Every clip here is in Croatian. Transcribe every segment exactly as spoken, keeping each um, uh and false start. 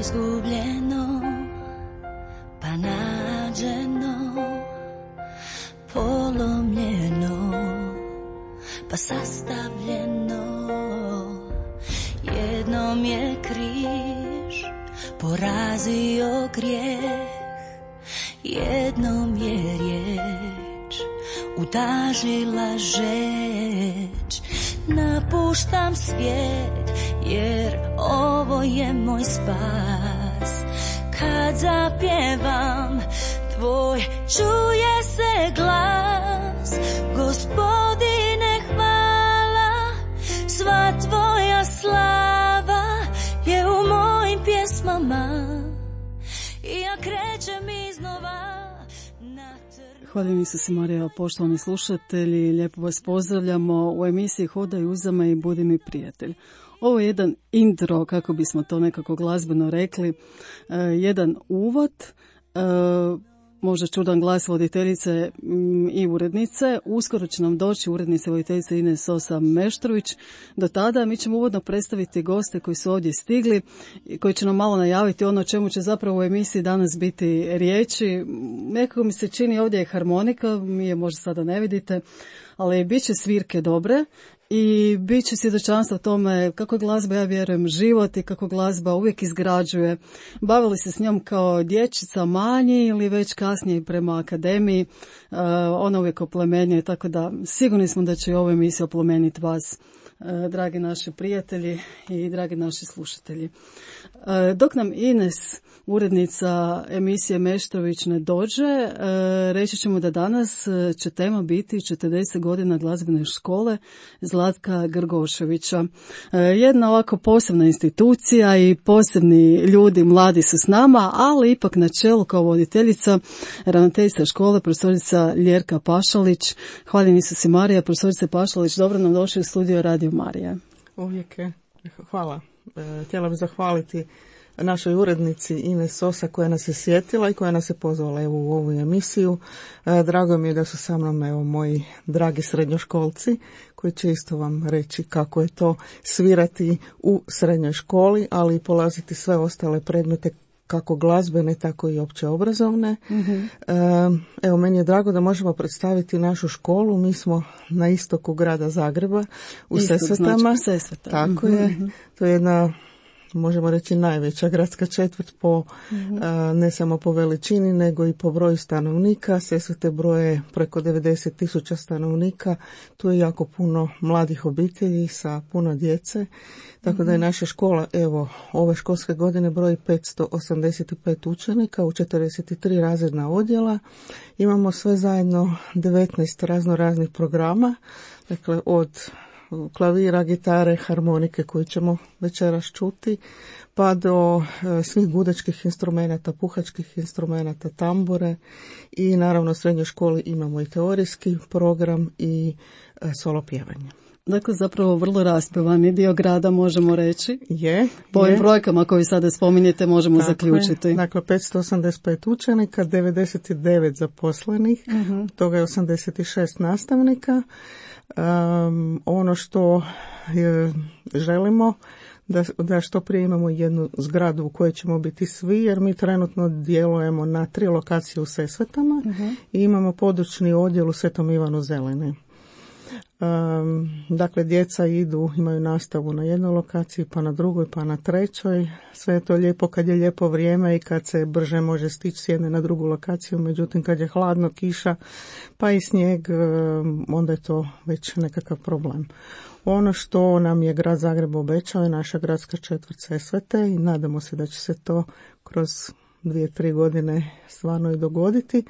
izgubljeno pa nađeno, polomljeno pa sastavljeno. Jednom je križ porazio grijeh, jednom je riječ utažila žeč. Napuštam svijet jer ovo je moj spas. Kad zapjevam tvoj čuje se glas. Gospodine hvala, sva tvoja slava je u mojim pjesmama i ja krećem iznova na trgu. Hvala Isuse Marija, poštovani slušatelji, lijepo vas pozdravljamo u emisiji Hodaj uzama i budi mi prijatelj. Ovo je jedan intro, kako bismo to nekako glazbeno rekli, uh, jedan uvod, uh, možda čudan glas voditeljice mm, i urednice. Uskoro će nam doći urednica voditeljice Ines Sosa Meštrović. Do tada mi ćemo uvodno predstaviti goste koji su ovdje stigli i koji će nam malo najaviti ono o čemu će zapravo u emisiji danas biti riječi. Nekako mi se čini ovdje je harmonika, mi je možda sada ne vidite, ali bit će svirke dobre. I bit će svjedočanstvo tome kako glazba, ja vjerujem, život i kako glazba uvijek izgrađuje. Bavili se s njom kao dječica manji ili već kasnije prema akademiji, uh, ona uvijek oplemenjuje, tako da sigurni smo da će i ovo emisija oplemeniti vas, uh, dragi naši prijatelji i dragi naši slušatelji. Uh, dok nam Ines, urednica emisije Meštrović, ne dođe, uh, reći ćemo da danas će tema biti četrdeset godina glazbene škole Zlatka Grgoševića. Jedna ovako posebna institucija i posebni ljudi, mladi su s nama, ali ipak na čelu kao voditeljica ravnateljica škole, profesorica Ljerka Pašalić. Hvala Isuse Marija, profesorice Pašalić, dobro nam došli u studio Radio Marija. Uvijek je. Hvala. Htjela bih zahvaliti našoj urednici Ines Sosa koja nas je sjetila i koja nas je pozvala evo u ovu emisiju. Drago mi je da su sa mnom evo moji dragi srednjoškolci koji će isto vam reći kako je to svirati u srednjoj školi, ali i polaziti sve ostale predmete kako glazbene, tako i opće obrazovne. Mm-hmm. Evo, meni je drago da možemo predstaviti našu školu. Mi smo na istoku grada Zagreba, u Istok, Sesvetama. Znači, Sesveta. Tako mm-hmm. je. To je jedna, možemo reći, najveća gradska četvrt po, mm-hmm. a, ne samo po veličini, nego i po broju stanovnika. Sesvete broje preko devedeset tisuća stanovnika. Tu je jako puno mladih obitelji sa puno djece. Tako mm-hmm. da je naša škola, evo, ove školske godine broji petsto osamdeset pet učenika u četrdeset tri razredna odjela. Imamo sve zajedno devetnaest razno raznih programa, dakle od klavira, gitare, harmonike koju ćemo večeras čuti, pa do e, svih gudačkih instrumenata, puhačkih instrumenata, tambure i naravno u srednjoj školi imamo i teorijski program i e, solo pjevanje. Dakle, zapravo vrlo raspevani dio grada, možemo reći. Je. Po ovim brojkama koje sada spominjete možemo Tako zaključiti. Je. Dakle, petsto osamdeset pet učenika, devedeset devet zaposlenih, uh-huh. toga je osamdeset šest nastavnika. Um, ono što je, želimo da, da što prije imamo jednu zgradu u kojoj ćemo biti svi, jer mi trenutno djelujemo na tri lokacije u Sesvetama uh-huh. i imamo područni odjel u Svetom Ivanu Zelini. Um, dakle, djeca idu, imaju nastavu na jednoj lokaciji, pa na drugoj, pa na trećoj. Sve je to lijepo kad je lijepo vrijeme i kad se brže može stići s jedne na drugu lokaciju. Međutim, kad je hladno, kiša, pa i snijeg, um, onda je to već nekakav problem. Ono što nam je grad Zagreb obećao je naša gradska četvrt Sesvete i nadamo se da će se to kroz dvije, tri godine stvarno i dogoditi,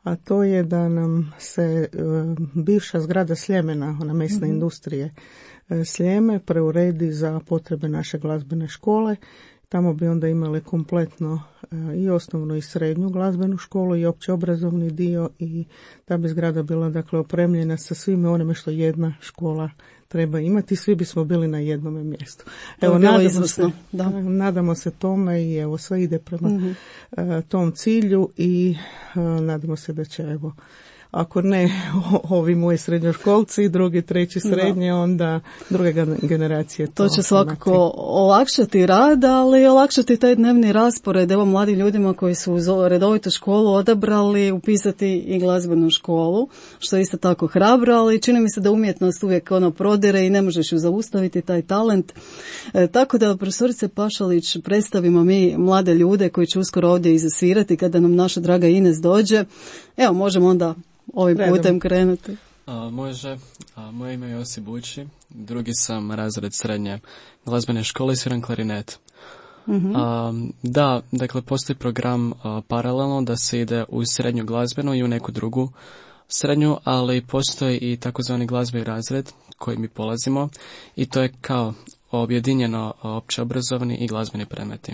a to je da nam se e, bivša zgrada Sljemena, ona mesne mm-hmm. industrije e, Sljeme, preuredi za potrebe naše glazbene škole. Tamo bi onda imali kompletno e, i osnovnu i srednju glazbenu školu i opće obrazovni dio i ta bi zgrada bila dakle opremljena sa svime onime što jedna škola treba imati, svi bismo bili na jednom mjestu. Evo, nadamo se, da. nadamo se tome i evo sve ide prema mm-hmm. uh, tom cilju i uh, nadamo se da će evo ako ne ovi moji srednjoškolci, drugi, treći srednje, onda druge generacije. To, to će svakako imati. Olakšati rad, ali olakšati taj dnevni raspored. Evo mladim ljudima koji su uz redovitu školu odabrali upisati i glazbenu školu, što je isto tako hrabro, ali čini mi se da umjetnost uvijek ono prodire i ne možeš ju zaustaviti, taj talent. E, tako da, profesorice Pašalić, predstavimo mi mlade ljude koji će uskoro ovdje izasvirati kada nam naša draga Ines dođe. Evo, možemo onda ovim Redom. putem krenuti. A, može. A, moje ime je Josip Bući, drugi sam razred srednje glazbene škole i sviram klarinet. Uh-huh. A, da, dakle, postoji program a, paralelno da se ide u srednju glazbenu i u neku drugu srednju, ali postoji i takozvani glazbeni razred koji mi polazimo i to je kao objedinjeno općeobrazovni i glazbeni predmeti.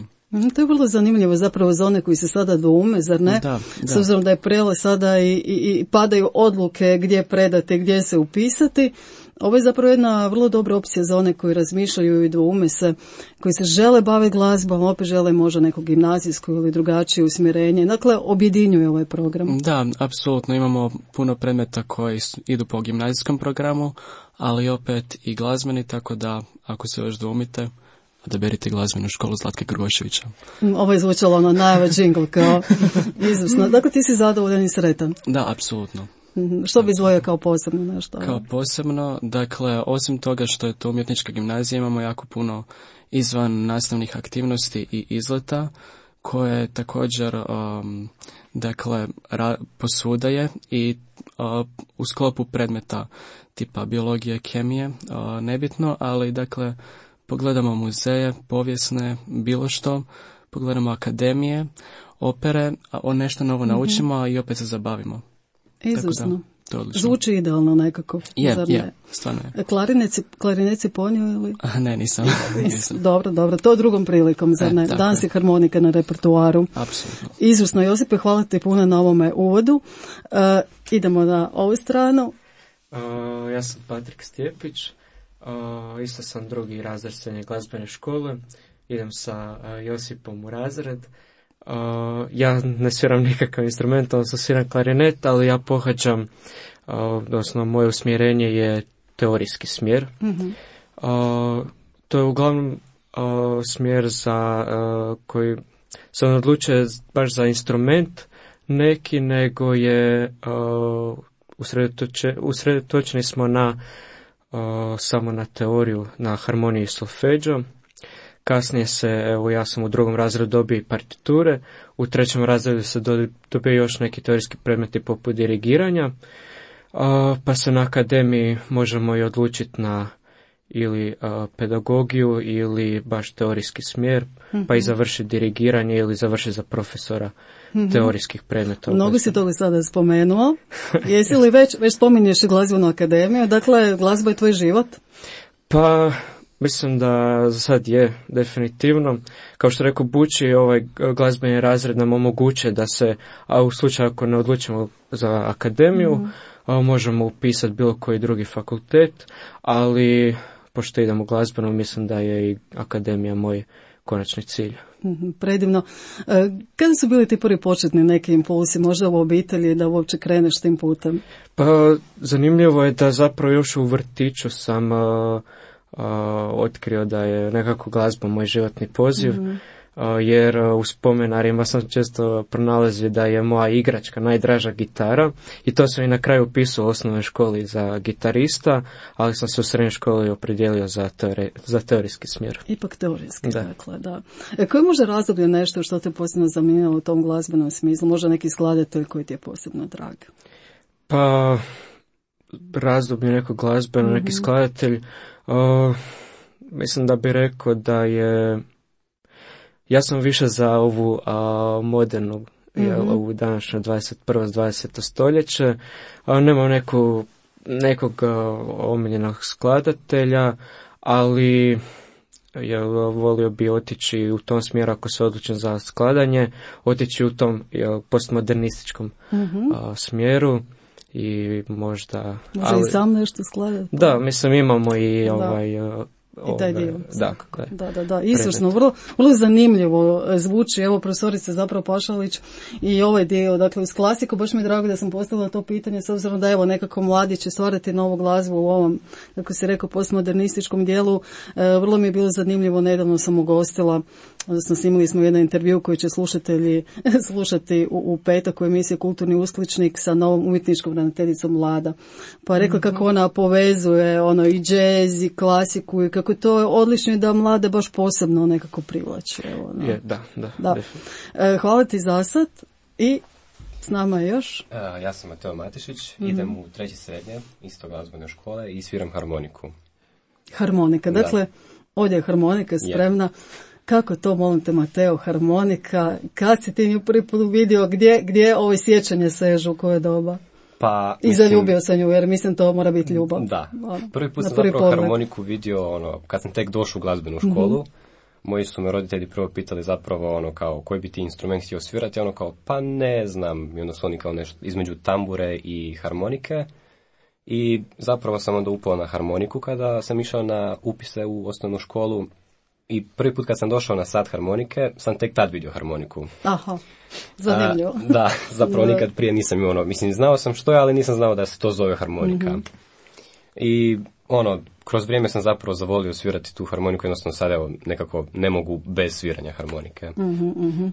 To je vrlo zanimljivo zapravo za one koji se sada doume, zar ne? Da, da. S obzirom da je prele sada i, i, i padaju odluke gdje predati, gdje se upisati. Ovo je zapravo jedna vrlo dobra opcija za one koji razmišljaju i doume se, koji se žele baviti glazbom, opet žele možda neko gimnazijsko ili drugačije usmjerenje. Dakle, objedinjuje ovaj program. Da, apsolutno. Imamo puno predmeta koji idu po gimnazijskom programu, ali opet i glazbeni, tako da ako se još doumite, odaberite glazbenu školu Zlatke Grboševića. Ovo je zvučalo ono najava džingl kao izvrsno. Dakle, ti si zadovoljan i sretan. Da, apsolutno. Što bi izdvojio kao posebno nešto? Kao posebno, dakle, osim toga što je to umjetnička gimnazija, imamo jako puno izvan nastavnih aktivnosti i izleta, koje također, um, dakle, ra- posudaje i uh, u sklopu predmeta tipa biologije, kemije, uh, nebitno, ali, dakle, pogledamo muzeje, povijesne, bilo što, pogledamo akademije, opere, a nešto novo mm-hmm. naučimo i opet se zabavimo. Izvrsno. Zvuči idealno nekako. Je, yeah, je, yeah, stvarno je. Klarineci, klarineci ponio ili? A, ne, nisam. nisam. Dobro, dobro, to drugom prilikom, zar ne? E, Danas je harmonika na repertuaru. Apsolutno. Izvrsno, Josipe, hvala ti puno na ovome uvodu. Uh, idemo na ovu stranu. Uh, ja sam Patrik Stjepić. Uh, isto sam drugi razred srednje glazbene škole. Idem sa uh, Josipom u razred. Uh, ja ne sviram nikakav instrument, odnosno sviram klarinet, ali ja pohađam, uh, odnosno moje usmjerenje je teorijski smjer. Mm-hmm. Uh, to je uglavnom uh, smjer za uh, koji se ne odlučuje baš za instrument neki, nego je uh, usredotoče, usredotočeni smo na uh, samo na teoriju, na harmoniju i solfeđo. Kasnije se, evo ja sam u drugom razredu dobio partiture, u trećem razredu se dobio još neki teorijski predmeti poput dirigiranja, a, pa se na akademiji možemo i odlučiti na ili a, pedagogiju ili baš teorijski smjer, mm-hmm. pa i završiti dirigiranje ili završiti za profesora mm-hmm. teorijskih predmeta. Mnogo si toga sada spomenuo. Jesi li već, već spominješ i glazbenu akademiju, dakle glazba je tvoj život? Pa... Mislim da za sad je, definitivno. Kao što rekao Bući, ovaj glazbeni razred nam omogućuje da se, a u slučaju ako ne odlučimo za akademiju, mm. a, možemo upisati bilo koji drugi fakultet, ali pošto idemo u glazbenu, mislim da je i akademija moj konačni cilj. Mm-hmm, predivno. E, kada su bili ti prvi početni neki impulsi, možda u obitelji, da uopće kreneš tim putem? Pa zanimljivo je da zapravo još u vrtiću sam... A, Uh, otkrio da je nekako glazba moj životni poziv, mm-hmm. uh, jer uh, u spomenarima sam često pronalazio da je moja igračka najdraža gitara i to sam i na kraju upisao u osnovnoj školi za gitarista, ali sam se u srednjoj školi opredijelio za, teori, za teorijski smjer. Ipak teorijski, da. Dakle, da. E, koje može razdoblje nešto što te posebno zanimalo u tom glazbenom smislu? Možda neki skladatelj koji ti je posebno drag? Pa, razdoblje nekog glazbeno, mm-hmm. neki skladatelj. Uh, mislim da bi rekao da je, ja sam više za ovu uh, modernu, mm-hmm. jel, ovu današnju dvadeset prvo dvadeseto stoljeće. Uh, nemam neku, nekog uh, omiljenog skladatelja, ali jel, volio bi otići u tom smjeru ako se odlučim za skladanje, otići u tom jel, postmodernističkom mm-hmm. uh, smjeru. I možda... Može ali, i sam nešto skladati. Da, mislim imamo i ovaj, I taj dio. Da, da, da, da. Izvrsno, vrlo, vrlo zanimljivo zvuči, evo profesorica zapravo Pašalić i ovaj dio, dakle uz klasiku, baš mi je drago da sam postavila to pitanje, s obzirom da evo nekako mladi će stvarati novu glazbu u ovom, kako se rekao, postmodernističkom dijelu, e, vrlo mi je bilo zanimljivo, nedavno sam ugostila, odnosno snimili smo jedan intervju koji će slušatelji slušati u, u petak u emisiji Kulturni uskličnik sa novom umjetničkom ravnateljicom Lada. Pa je rekla kako ona povezuje ono i džez i klasiku i kako to je odlično i da mlade baš posebno nekako privlači. Evo, no. Je, da, da. da. E, hvala ti za sad i s nama je još. Uh, ja sam Mateo Matišić, mm-hmm. idem u treći srednje, isto glazbene škole i sviram harmoniku. Harmonika, dakle, da. Ovdje je harmonika spremna. Je. Kako to, molim te, Mateo, harmonika? Kad si ti nju prvi put vidio, gdje, gdje ovo sjećanje sežu, u koje doba? Pa, I mislim, zaljubio sam nju, jer mislim to mora biti ljubav. Da, ono, prvi put sam prvi zapravo pogled. Harmoniku vidio, ono, kad sam tek došao u glazbenu školu, mm-hmm. moji su me roditelji prvo pitali zapravo, ono, kao, koji bi ti instrument htio svirati, ono, kao, pa ne znam, i onda su oni kao nešto između tambure i harmonike. I zapravo sam onda upao na harmoniku kada sam išao na upise u osnovnu školu. I prvi put kad sam došao na sat harmonike, sam tek tad vidio harmoniku. Aha, zanimljivo. A, da, zapravo nikad prije nisam imao ono, mislim, znao sam što je, ali nisam znao da se to zove harmonika. Mm-hmm. I ono, kroz vrijeme sam zapravo zavolio svirati tu harmoniku, jednostavno sad evo nekako ne mogu bez sviranja harmonike. Mm-hmm, mm-hmm.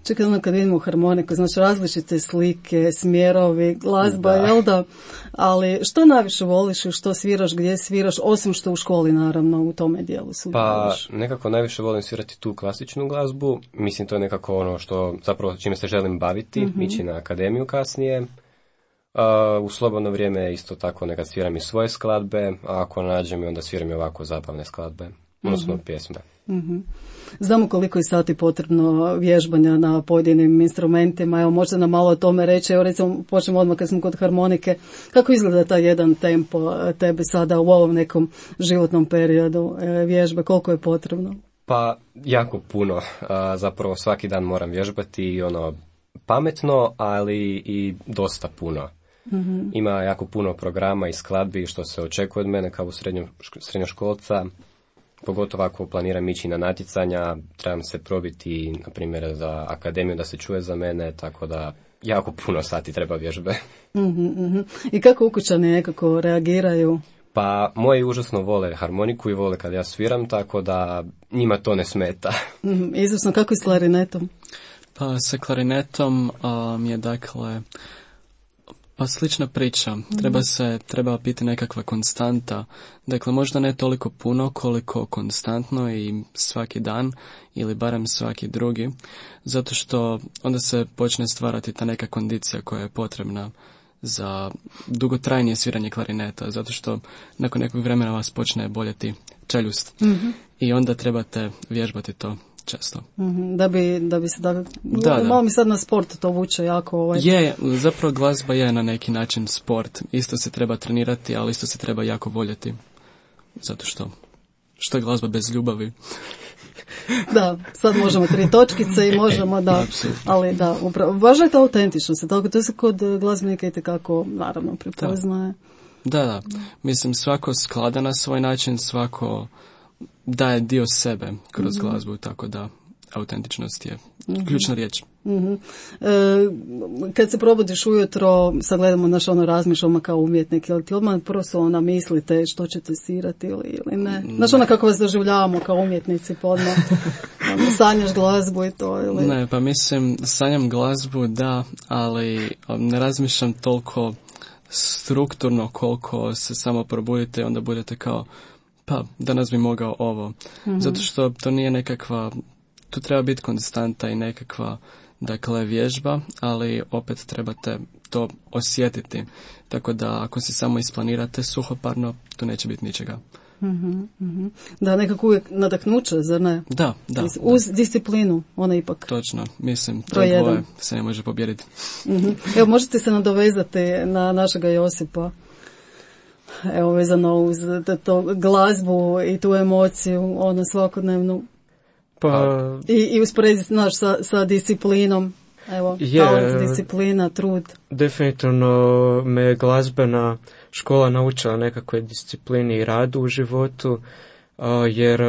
Čekaj, ono kad vidimo harmoniku, znači različite slike, smjerovi, glazba, da. Jel da? Ali što najviše voliš i što sviraš, gdje sviraš, osim što u školi naravno u tome dijelu sudjeluješ? Pa nekako najviše volim svirati tu klasičnu glazbu, mislim to je nekako ono što zapravo čime se želim baviti, mm-hmm. ići na akademiju kasnije. Uh, u slobodno vrijeme isto tako nekad sviram i svoje skladbe, a ako nađem i onda sviram i ovako zabavne skladbe, odnosno mm-hmm. pjesme. Mm-hmm. Znamo koliko je sati potrebno vježbanja na pojedinim instrumentima, evo možete nam malo o tome reći, evo recimo počnemo odmah kad smo kod harmonike, kako izgleda taj jedan tempo tebe sada u ovom nekom životnom periodu vježbe, koliko je potrebno? Pa jako puno, uh, zapravo svaki dan moram vježbati i ono pametno, ali i dosta puno. Mm-hmm. Ima jako puno programa i skladbi što se očekuje od mene kao srednjoškolca, pogotovo ako planiram ići na natjecanja, trebam se probiti, na primjer, za akademiju da se čuje za mene, tako da jako puno sati treba vježbe. Mm-hmm. I kako ukućani nekako reagiraju? Pa moji užasno vole harmoniku i vole kad ja sviram, tako da njima to ne smeta. Mm-hmm. Izvrsno, kako je s klarinetom? Pa sa klarinetom um, je dakle pa slična priča. Mm-hmm. Treba se, treba biti nekakva konstanta. Dakle, možda ne toliko puno koliko konstantno i svaki dan ili barem svaki drugi. Zato što onda se počne stvarati ta neka kondicija koja je potrebna za dugotrajnije sviranje klarineta. Zato što nakon nekog vremena vas počne boljeti čeljust. Mm-hmm. I onda trebate vježbati to često. Mm-hmm, da bi, da bi se, da, da, da. Malo mi sad na sport to vuče jako. Ovaj. Je, zapravo glazba je na neki način sport. Isto se treba trenirati, ali isto se treba jako voljeti. Zato što, što je glazba bez ljubavi? Da, sad možemo tri točkice i možemo da, ali da, upravo, važno je to autentičnost, tako to se kod glazbenika itekako, naravno, prepoznaje. Da, da, mislim svako sklada na svoj način, svako daje dio sebe kroz mm-hmm. glazbu, tako da autentičnost je mm-hmm. ključna riječ. Mm-hmm. E, kad se probudiš ujutro, sad gledamo naš ono razmišljamo kao umjetnik, ili ti odmah prvo su ona mislite što ćete svirati ili, ili ne? Znaš ona kako vas doživljavamo kao umjetnici, pa odmah ono, sanjaš glazbu i to? Ili? Ne, pa mislim, sanjam glazbu, da, ali ne razmišljam toliko strukturno koliko se samo probudite i onda budete kao pa danas bi mogao ovo. Mm-hmm. Zato što to nije nekakva, tu treba biti konstanta i nekakva, dakle, vježba, ali opet trebate to osjetiti. Tako da ako si samo isplanirate suhoparno, tu neće biti ničega. Mm-hmm, mm-hmm. Da, nekako uvijek nadahnuće, zar ne? Da, da. Uz da. disciplinu, ona ipak. Točno, mislim, to dvoje se ne može pobijediti. Mm-hmm. Evo, možete se nadovezati na našega Josipa. Evo, vezano uz to glazbu i tu emociju, ono svakodnevnu. Pa... I, i usporediti naš sa, sa disciplinom. Evo, je, talent, disciplina, trud. Definitivno me glazbena škola naučila nekakve disciplini i radu u životu. jer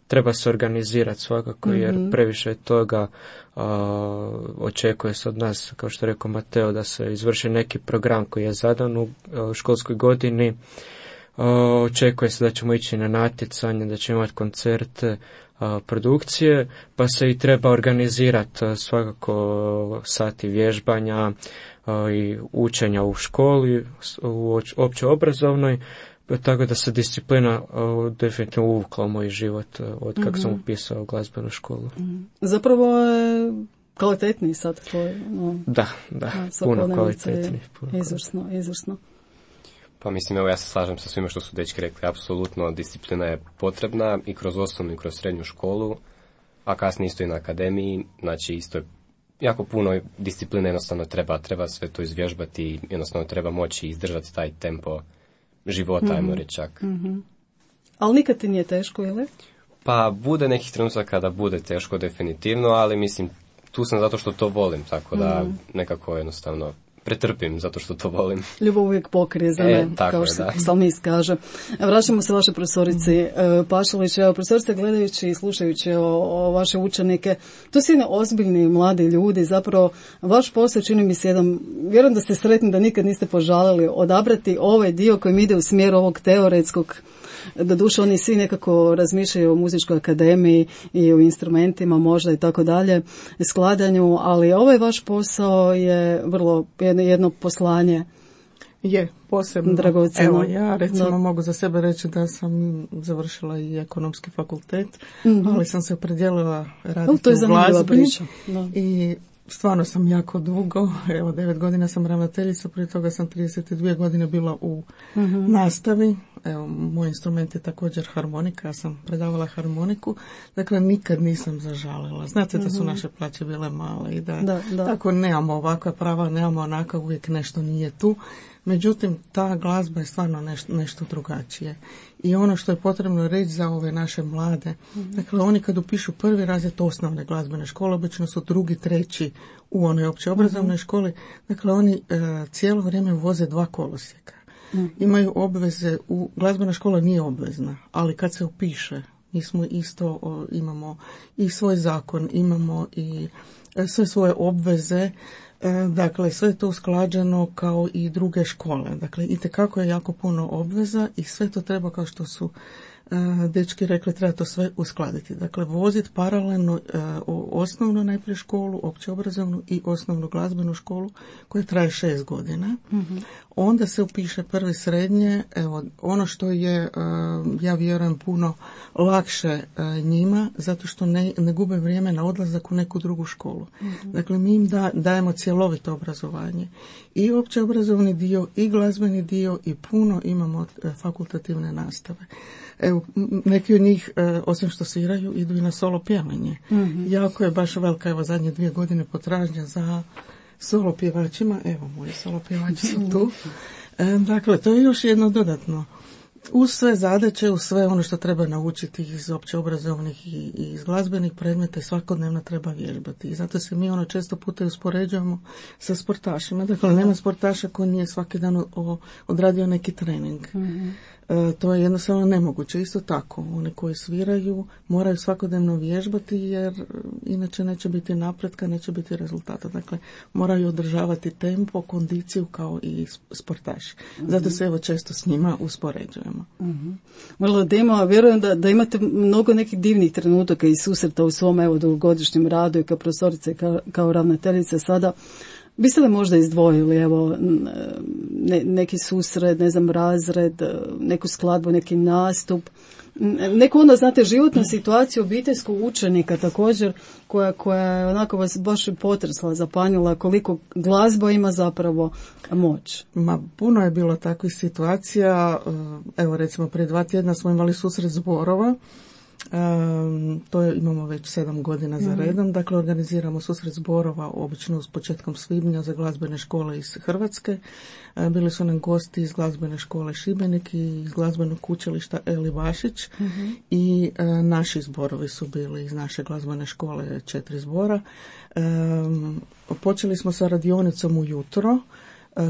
treba se organizirati svakako, jer mm-hmm. previše toga uh, očekuje se od nas, kao što je rekao Mateo, da se izvrši neki program koji je zadan u uh, školskoj godini. Uh, očekuje se da ćemo ići na natjecanje, da ćemo imati koncerte, uh, produkcije, pa se i treba organizirati uh, svakako sati vježbanja uh, i učenja u školi, u opće obrazovnoj, tako da se disciplina uh, definitivno uvukla u moj život uh, od kako mm-hmm. sam upisao glazbenu školu. Mm-hmm. Zapravo je kvalitetniji sad tvoj. No, da, da, puno kvalitetniji. Izvrsno, izvrsno. Pa mislim, evo ja se slažem sa svima što su dečki rekli, apsolutno disciplina je potrebna i kroz osnovnu i kroz srednju školu, a kasnije isto i na akademiji, znači isto je jako puno discipline jednostavno treba, treba sve to izvježbati i jednostavno treba moći izdržati taj tempo života, mm-hmm. ajmo reći čak. Mm-hmm. Ali nikad ti nije teško, ili? Pa bude nekih trenutaka kada bude teško definitivno, ali mislim, tu sam zato što to volim, tako da mm. nekako jednostavno pretrpim zato što to volim. Ljubav uvijek pokrije za e, me, kao što psalmist kaže. Vraćamo se vašoj profesorici mm. Pašalić. Evo, profesorice, gledajući i slušajući o, o vaše učenike, to su jedni ozbiljni mladi ljudi, zapravo vaš posao čini mi se jedan, vjerujem da ste sretni da nikad niste požalili odabrati ovaj dio kojim ide u smjeru ovog teoretskog. Doduše oni svi nekako razmišljaju o muzičkoj akademiji i o instrumentima možda i tako dalje, skladanju, ali ovaj vaš posao je vrlo jedno, jedno poslanje. Je, posebno. Dragoceno. Evo, ja recimo da. mogu za sebe reći da sam završila i ekonomski fakultet, mm-hmm. ali sam se opredijelila raditi to je u glazbi da. i stvarno sam jako dugo, evo devet godina sam ravnateljica, prije toga sam trideset dvije godine bila u mm-hmm. nastavi. Evo, moj instrument je također harmonika, ja sam predavala harmoniku, dakle nikad nisam zažalila. Znate mm-hmm. da su naše plaće bile male i da, da, da. tako nemamo ovakva prava, nemamo onaka, uvijek nešto nije tu. Međutim, ta glazba je stvarno nešto, nešto drugačije. I ono što je potrebno reći za ove naše mlade, mm-hmm. dakle oni kad upišu prvi razred osnovne glazbene škole, obično su drugi, treći u onoj opće obrazovnoj mm-hmm. školi, dakle oni e, cijelo vrijeme voze dva kolosijeka. Mm-hmm. Imaju obveze, u, glazbena škola nije obvezna, ali kad se upiše, mi smo isto, o, imamo i svoj zakon, imamo i e, sve svoje obveze, e, dakle sve je to usklađeno kao i druge škole. Dakle, itekako je jako puno obveza i sve to treba, kao što su dečki rekli, treba to sve uskladiti. Dakle, voziti paralelno uh, osnovnu najprije školu, opće obrazovnu i osnovnu glazbenu školu koja traje šest godina. Mm-hmm. Onda se upiše prvi srednje. Evo, ono što je, uh, ja vjerujem, puno lakše uh, njima, zato što ne, ne gube vrijeme na odlazak u neku drugu školu. Mm-hmm. Dakle, mi im da, dajemo cjelovito obrazovanje. I opće obrazovni dio, i glazbeni dio, i puno imamo uh, fakultativne nastave. Evo, neki od njih, e, osim što sviraju, idu i na solo pjevanje. Mm-hmm. Jako je baš velika, evo, zadnje dvije godine potražnja za solo pjevačima. Evo, moji solo pjevači su tu. E, dakle, to je još jedno dodatno. Uz sve zadaće, uz sve ono što treba naučiti iz opće obrazovnih i, i iz glazbenih predmeta i svakodnevno treba vježbati. I zato se mi ono često puta uspoređujemo sa sportašima. Dakle, nema sportaša koji nije svaki dan o, odradio neki trening. Mm-hmm. E, to je jednostavno nemoguće. Isto tako, oni koji sviraju moraju svakodnevno vježbati jer inače neće biti napretka, neće biti rezultata. Dakle, moraju održavati tempo, kondiciju kao i sportaši. Zato se evo često s njima uspoređujemo. Mm-hmm. Možda da ima, vjerujem da, da imate mnogo nekih divnih trenutaka i susreta u svom evo dugogodišnjem radu i kao profesorice, kao, kao ravnateljice sada. Biste li možda izdvojili evo ne, neki susret, ne znam, razred, neku skladbu, neki nastup, neku onda, znate, životnu situaciju obiteljskog učenika također koja, koja je onako vas baš potresla, zapanjila koliko glazba ima zapravo moć? Ma, puno je bilo takvih situacija. Evo, recimo, prije dva tjedna smo imali susret zborova. Um, to je, imamo već sedam godina za redom. Dakle, organiziramo susret zborova obično s početkom svibnja za glazbene škole iz Hrvatske. Uh, bili su nam gosti iz glazbene škole Šibenik i iz glazbenog učilišta Eli Bašić. Uh-huh. I uh, naši zborovi su bili iz naše glazbene škole, četiri zbora. Um, počeli smo sa radionicom ujutro.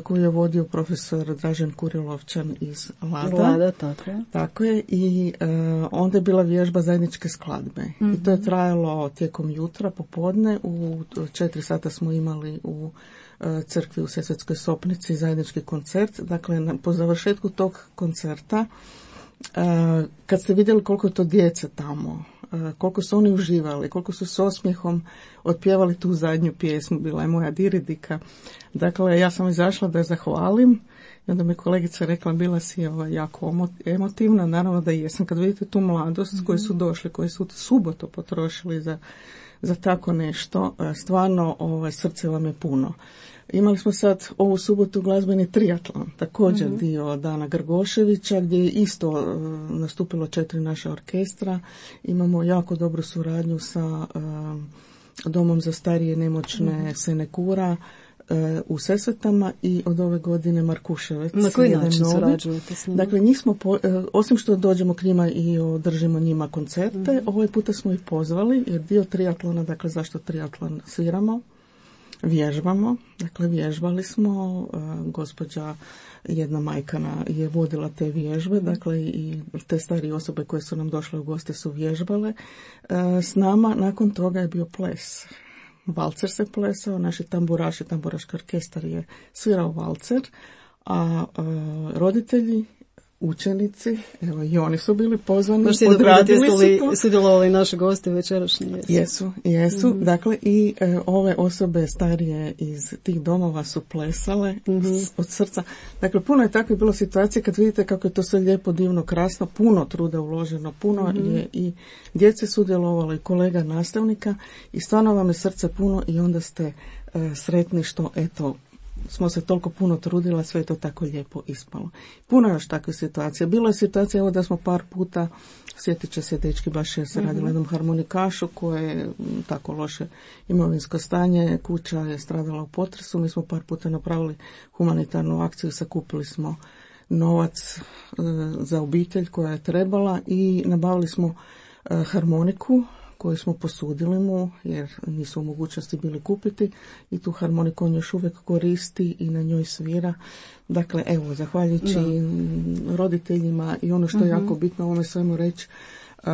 koju je vodio profesor Dražen Kurilovčan iz Lada. Lada, tako je. Tako je i uh, onda je bila vježba zajedničke skladbe. Mm-hmm. I to je trajalo tijekom jutra, popodne. U četiri sata smo imali u uh, crkvi u Sesvetskoj Sopnici zajednički koncert. Dakle, na, po završetku tog koncerta, uh, kad ste vidjeli koliko je to djece tamo, koliko su oni uživali, koliko su s osmijehom otpjevali tu zadnju pjesmu, bila je moja Diridika. Dakle, ja sam izašla da je zahvalim i onda mi kolegica rekla, bila si ovaj, jako emotivna, naravno da jesam. Kad vidite tu mladost mm-hmm. koji su došli, koji su subotu potrošili za, za tako nešto, stvarno ovaj, srce vam je puno. Imali smo sad ovu subotu glazbeni triatlon, također mm-hmm. dio Dana Grgoševića, gdje je isto uh, nastupilo četiri naša orkestra. Imamo jako dobru suradnju sa uh, Domom za starije nemoćne mm-hmm. Senekura uh, u Sesvetama i od ove godine Markuševec. Na koji način surađujete s njima? Dakle, njih smo, po, uh, osim što dođemo k njima i održimo njima koncerte, mm-hmm. ovaj puta smo ih pozvali, jer dio triatlona, dakle zašto triatlon sviramo? Vježbamo, dakle vježbali smo, uh, gospođa jedna majkana je vodila te vježbe, dakle i te starije osobe koje su nam došle u goste su vježbale. Uh, s nama nakon toga je bio ples. Valcer se plesao, naši tamburaši, tamburaški orkestar je svirao valcer, a uh, roditelji, učenici, evo i oni su bili pozvani, odradili su to. Sudjelovali naši gosti večerašnji. Jesu, jesu. jesu. Mm-hmm. Dakle, i e, ove osobe starije iz tih domova su plesale mm-hmm. s, od srca. Dakle, puno je takvih bilo situacije kad vidite kako je to sve lijepo, divno, krasno, puno truda uloženo, puno mm-hmm. je i djece sudjelovalo i kolega nastavnika i stvarno vam je srce puno i onda ste e, sretni što, eto, smo se toliko puno trudila, sve je to tako lijepo ispalo. Puno je još takve situacije. Bilo je situacija, evo da smo par puta, sjetit će se dečki, baš je se mm-hmm. radila jednom harmonikašu koje je tako loše imovinsko stanje, kuća je stradala u potresu, mi smo par puta napravili humanitarnu akciju, sakupili smo novac e, za obitelj koja je trebala i nabavili smo e, harmoniku koju smo posudili mu, jer nisu u mogućnosti bili kupiti i tu harmoniku on još uvijek koristi i na njoj svira. Dakle, evo, zahvaljujući da. roditeljima i ono što je uh-huh. jako bitno ovome svemu reći, uh,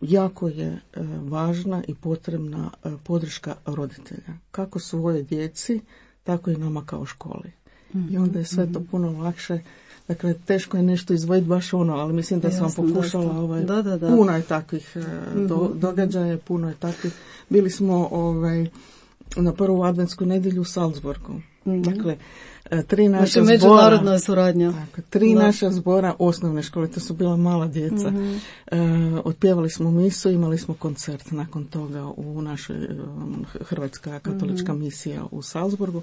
jako je uh, važna i potrebna uh, podrška roditelja. Kako svoje djeci, tako i nama kao školi. Uh-huh. I onda je sve to puno lakše. Dakle, teško je nešto izdvojiti baš ono, ali mislim da Jasno, sam vam pokušala, ovaj, da, da, da. puno je takvih do, događaja, puno je takvih. Bili smo ovaj, na prvu adventsku nedjelju u Salzburgu. Mm-hmm. Dakle, tri naša znači, međunarodna suradnja. Tako, tri da. naša zbora osnovne škole, to su bila mala djeca. Mm-hmm. E, otpjevali smo misu, imali smo koncert nakon toga u našoj Hrvatska katolička mm-hmm. misija u Salzburgu.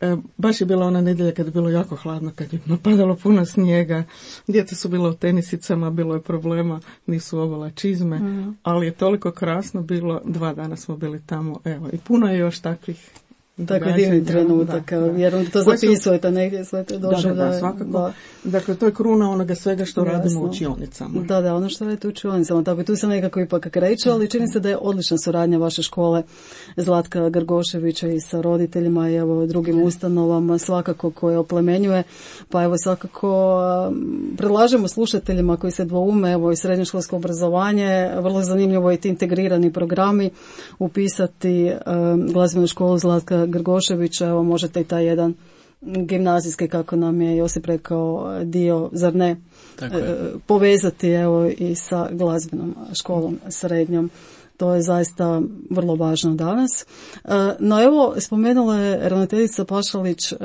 E, baš je bila ona nedjelja kad je bilo jako hladno, kad je napadalo puno snijega, djeca su bila u tenisicama, bilo je problema, nisu ovala čizme, mm. ali je toliko krasno bilo, dva dana smo bili tamo, evo, i puno je još takvih Tako divni trenutak, vjerujem da to zapisujete negdje, sve to došlo. Da, da, da, svakako. Da. Dakle, to je kruna onoga svega što Jasno. radimo u učionicama. Da, da, ono što radite u učionicama, tako i tu se nekako ipak kreće, ali čini se da je odlična suradnja vaše škole Zlatka Grgoševića i sa roditeljima i evo drugim ustanovama svakako koje oplemenjuje, pa evo svakako predlažemo slušateljima koji se dvoume, evo i srednjoškolsko obrazovanje, vrlo zanimljivo je ti integrirani programi, upisati um, glazbenu školu Zlatka Grgoševića, evo možete i taj jedan gimnazijski, kako nam je Josip rekao, dio, zar ne, e, povezati evo i sa glazbenom školom srednjom. To je zaista vrlo važno danas. E, no evo, spomenula je ravnateljica Pašalić e,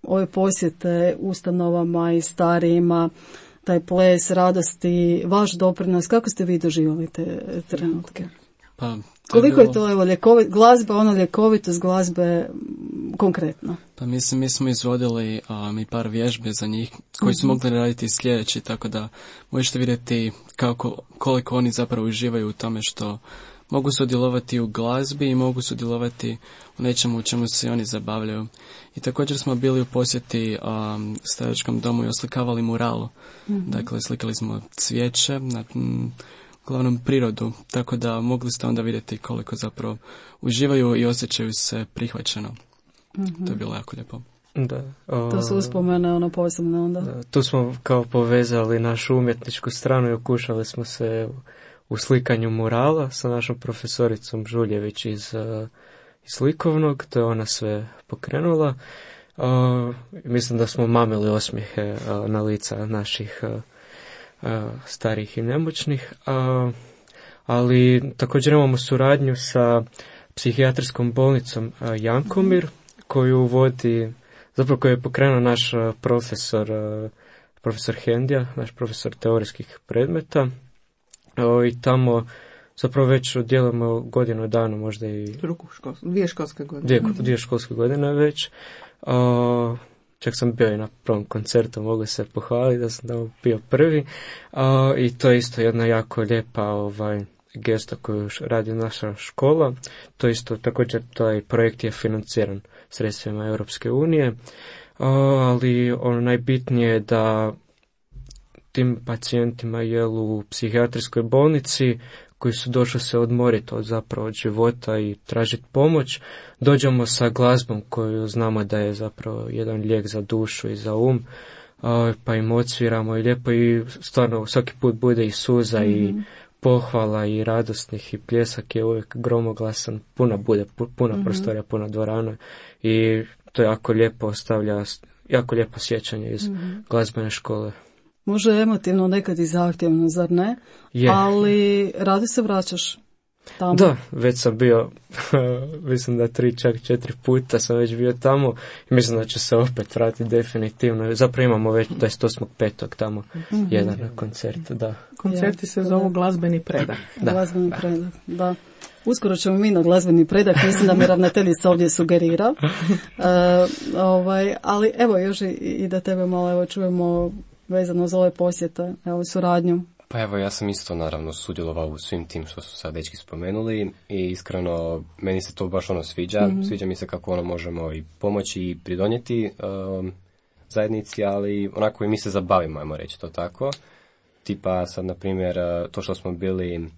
ove posjete ustanovama i starijima, taj ples, radosti, vaš doprinos, kako ste vi doživjeli te trenutke? Pa, koliko je to evo ljekovit, glazba, ono ljekovitost glazbe konkretno? Pa mislim, mi smo izvodili um, i par vježbe za njih koji su uh-huh. mogli raditi sljedeći, tako da možete vidjeti kako, koliko oni zapravo uživaju u tome što mogu sudjelovati u glazbi i mogu sudjelovati u nečemu u čemu se oni zabavljaju. I također smo bili u posjeti um, staračkom domu i oslikavali muralu. Uh-huh. Dakle, slikali smo cvijeće na m, uglavnom prirodu, tako da mogli ste onda vidjeti koliko zapravo uživaju i osjećaju se prihvaćeno. Mm-hmm. To je bilo jako lijepo. Da. O, to su uspomene ono posebno onda. Da, tu smo kao povezali našu umjetničku stranu i okušali smo se u slikanju murala sa našom profesoricom Žuljević iz, iz likovnog, to je ona sve pokrenula. O, mislim da smo mamili osmijehe o, na lica naših o, o, starih i nemoćnih, o, ali također imamo suradnju sa psihijatrijskom bolnicom o, Jankomir, koju vodi, zapravo koju je pokrenuo naš o, profesor, o, profesor Hendija, naš profesor teorijskih predmeta, o, i tamo zapravo već djelujemo godinu dana, možda i Drugu škol, dvije školske godine. Dvije, dvije školske godine već. Uh, čak sam bio i na prvom koncertu, mogu se pohvaliti da sam tamo bio prvi. Uh, I to je isto jedna jako lijepa ovaj, gesta koju radi naša škola. To isto, također, taj projekt je financiran sredstvima Europske unije. Uh, ali ono najbitnije je da tim pacijentima jel u psihijatrijskoj bolnici koji su došli se odmoriti od zapravo od života i tražiti pomoć, dođemo sa glazbom koju znamo da je zapravo jedan lijek za dušu i za um, pa im odsviramo i lijepo i stvarno svaki put bude i suza mm-hmm. i pohvala i radosnih i pljesak je uvijek gromoglasan, puna bude, puna mm-hmm. prostorija, puna dvorana i to jako lijepo ostavlja, jako lijepo sjećanje iz mm-hmm. glazbene škole. Može emotivno, nekad i zahtjevno, zar ne? Je. Ali radi se vraćaš tamo. Da, već sam bio, mislim da tri, čak četiri puta sam već bio tamo i mislim da ću se opet vratiti definitivno. Zapravo imamo već dvadeset osmog petog tamo mm-hmm. jedan koncert, da. Koncerti se zovu glazbeni predah. Da. Glazbeni da. predah, da. Uskoro ćemo mi na glazbeni predah, mislim da mi ravnateljica ovdje sugerira. uh, ovaj, ali evo još i, i da tebe malo evo čujemo vezano za ove posjete, evo suradnju. Pa evo, ja sam isto naravno sudjelovao u svim tim što su sad dečki spomenuli i iskreno meni se to baš ono sviđa. Mm-hmm. Sviđa mi se kako ono možemo i pomoći i pridonijeti um, zajednici, ali onako i mi se zabavimo, ajmo reći to tako. Tipa sad, na primjer, to što smo bili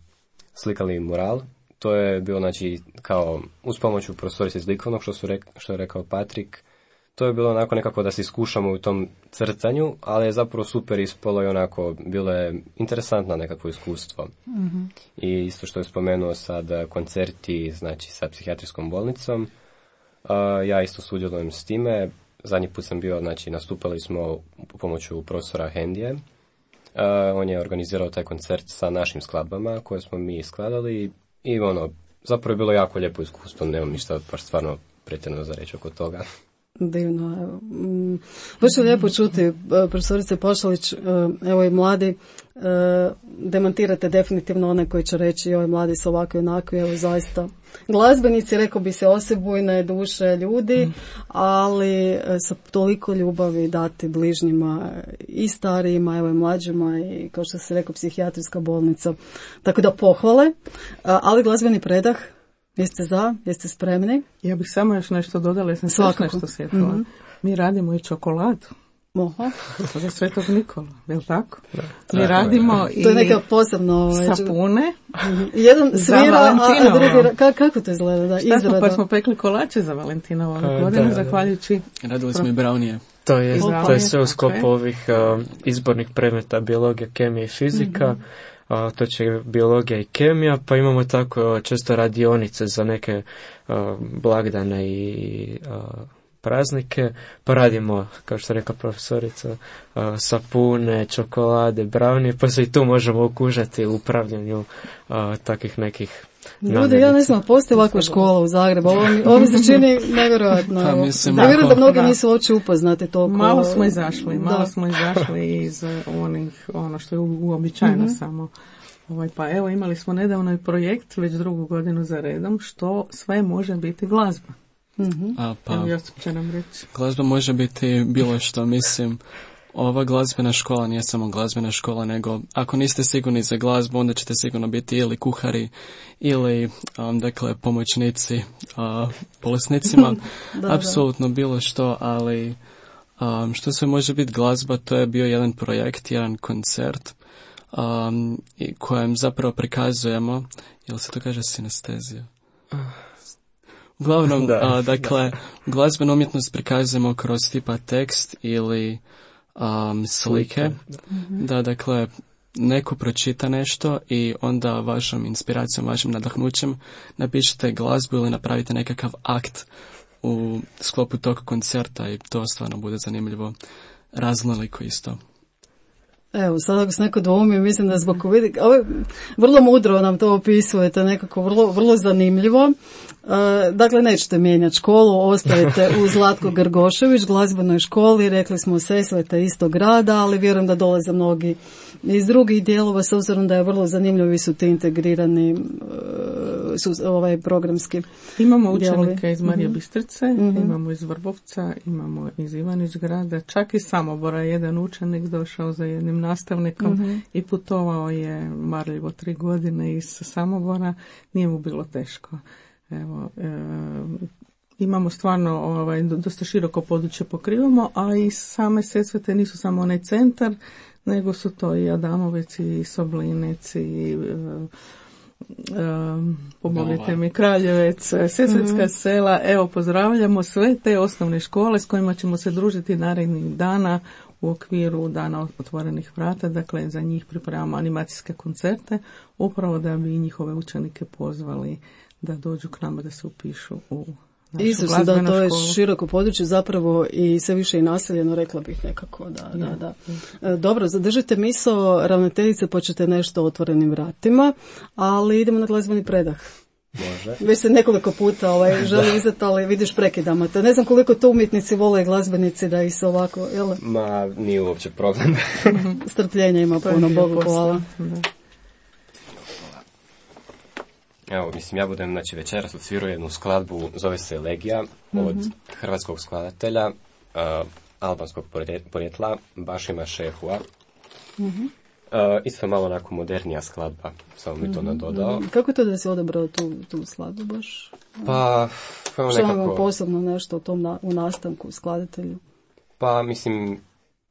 slikali mural, to je bilo znači kao uz pomoć u profesorice iz likovnog, što, su rek, što je rekao Patrik. To je bilo onako nekako da se iskušamo u tom crtanju, ali je zapravo super ispalo i onako bilo je interesantno nekakvo iskustvo. Mm-hmm. I isto što je spomenuo sad koncerti, znači sa psihijatrijskom bolnicom, uh, ja isto sudjelujem s time. Zadnji put sam bio, znači nastupali smo u pomoću profesora Hendije. Uh, on je organizirao taj koncert sa našim skladbama koje smo mi skladali i ono, zapravo je bilo jako lijepo iskustvo, nemam ništa baš stvarno pretjerano za reći oko toga. Divno, evo. Baš je lijepo čuti, profesorice Pašalić, evo i mladi, demantirate definitivno one koji će reći ovi mladi su ovakvi onakvi, evo zaista glazbenici, rekao bi se osebujne duše ljudi, ali sa toliko ljubavi dati bližnjima i starijima, evo i mlađima i kao što se rekao psihijatrijska bolnica. Tako da pohvale, ali glazbeni predah. Jeste za? Jeste spremni? Ja bih samo još nešto dodala, ja sam sve nešto sjetila. Mm-hmm. Mi radimo i čokoladu. Oha. Za Svetog Nikola, je li tako? Da. Mi tako radimo je. I to je neka posebno sapune. Mm-hmm. Jedan svira, a, a drugi... Ka, kako to izgleda? Da, Šta smo, pa smo pekli kolače za Valentinovu godinu, zahvaljujući... Radili smo i braunije. To je, to je sve u sklopu okay. ovih uh, izbornih predmeta biologija, kemija i fizika. Mm-hmm. Uh, to će biologija i kemija, pa imamo tako često radionice za neke uh, blagdane i uh, praznike, pa radimo, kao što rekla profesorica, uh, sapune, čokolade, braunije, pa se i tu možemo okužati u upravljanju uh, takvih nekih Ljudi, ja ne znam, postoji ovakva škola u Zagrebu, ovo mi, ovo mi se čini nevjerojatno. Pa, mislim, da, ja vjerujem da mnogi da. nisu uopće upoznati toliko. Malo smo izašli, malo da. smo izašli iz onih, ono što je uobičajeno mm-hmm. samo. Ovaj, pa evo, imali smo nedavno i projekt, već drugu godinu za redom, što sve može biti glazba. Mm-hmm. A, pa, evo, Josip će nam reći. Glazba može biti bilo što, mislim. Ova glazbena škola nije samo glazbena škola, nego ako niste sigurni za glazbu, onda ćete sigurno biti ili kuhari, ili um, dakle pomoćnici uh, bolesnicima. da, apsolutno da. bilo što, ali um, što sve može biti glazba, to je bio jedan projekt, jedan koncert um, kojem zapravo prikazujemo, jel se to kaže sinestezija? Uglavnom, Da. a, dakle, glazbenu umjetnost prikazujemo kroz tipa tekst ili um, slike. Da, dakle, neko pročita nešto i onda vašom inspiracijom, vašim nadahnućem napišete glazbu ili napravite nekakav akt u sklopu tog koncerta i to stvarno bude zanimljivo. Raznoliko isto. Evo, sad ako se neko dvoumi, mislim da zbog vidi, ovo je vrlo mudro nam to opisujete, nekako vrlo, vrlo zanimljivo. E, dakle, nećete mijenjati školu, ostajete u Zlatko Grgošević, glazbenoj školi, rekli smo Sesvete istog grada, ali vjerujem da dolaze mnogi iz drugih dijelova, s obzirom da je vrlo zanimljivi su ti integrirani e, su, ovaj programski Imamo dijelovi. učenike iz Marije Mhm. Bistrice, Mhm. imamo iz Vrbovca, imamo iz Ivanić grada, čak iz Samobora jedan učenik došao za jednim nastavnikom Mhm. i putovao je marljivo tri godine iz Samobora, nije mu bilo teško. Evo, e, imamo stvarno ovaj, dosta široko područje pokrivamo, a i same Sesvete nisu samo onaj centar, nego su to i Adamovec i Soblinec i e, Um, pomognite mi, Kraljevec, Sesvetska Mhm. sela. Evo, pozdravljamo sve te osnovne škole s kojima ćemo se družiti narednih dana u okviru Dana otvorenih vrata. Dakle, za njih pripremamo animacijske koncerte, upravo da bi njihove učenike pozvali da dođu k nama da se upišu u našu Isto da, glazbenu to je školu. široko područje, zapravo i sve više i naseljeno, rekla bih nekako, da, da, da. E, Dobro, zadržite misao ravnateljice, pa ćete nešto o otvorenim vratima, ali idemo na glazbeni predah. Može. Već se nekoliko puta ovaj, želi uzeti, ali vidiš prekidamo te. Ne znam koliko to umjetnici vole i glazbenici da ih se ovako, jel? Ma, nije uopće problem. Strpljenja ima To je puno, dio Bogu posla. hvala. Da. Evo, mislim, ja budem, znači, večeras odsvirao jednu skladbu, zove se Elegija, od hrvatskog skladatelja, uh, albanskog porje- porijekla, Bašima Šehua. Uh, isto malo onako modernija skladba, samo bi to nadodao. Kako je to da si odabrao tu, tu skladbu baš? Pa, evo Što vam je nekako, posebno nešto o tom na, u nastanku skladatelju? pa mislim,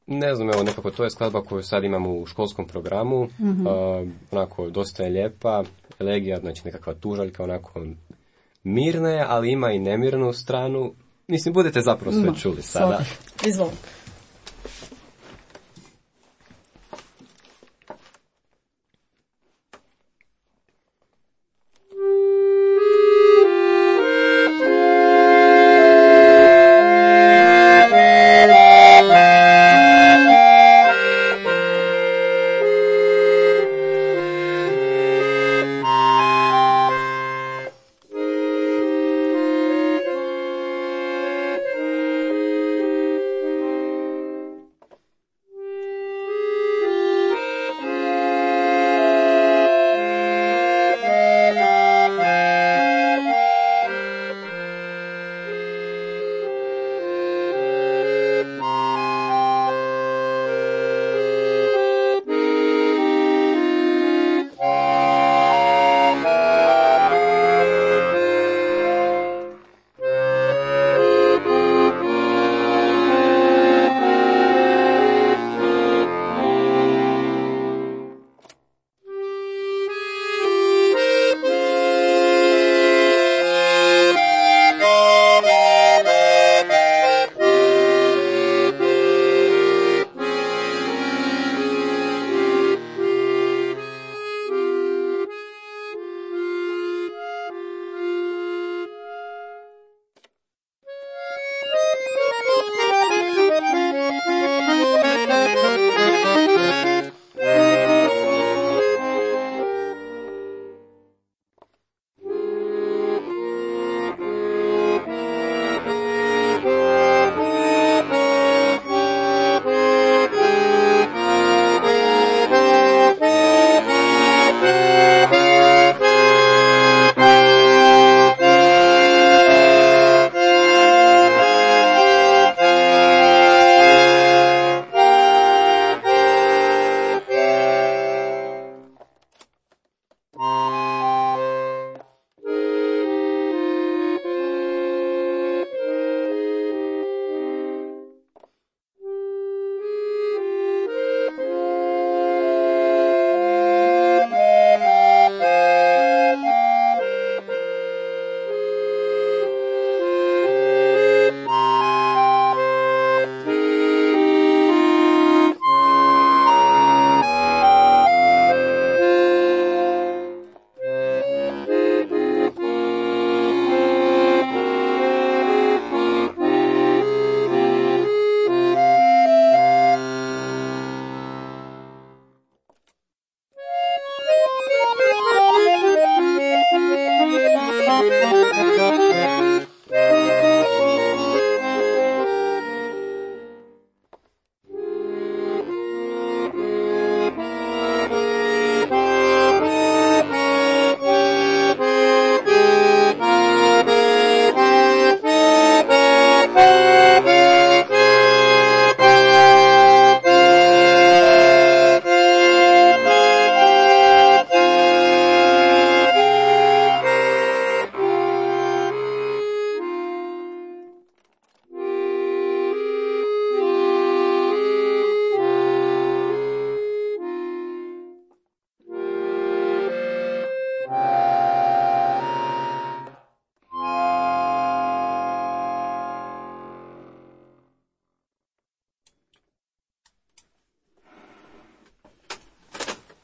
ne znam, evo nekako to je skladba koju sad imamo u školskom programu, uh, onako dosta je lijepa, Elegija, znači nekakva tužaljka, onako mirna je, ali ima i nemirnu stranu. Mislim, budete zapravo sve Ma, čuli sada. svakako. Izvolite. Thank you.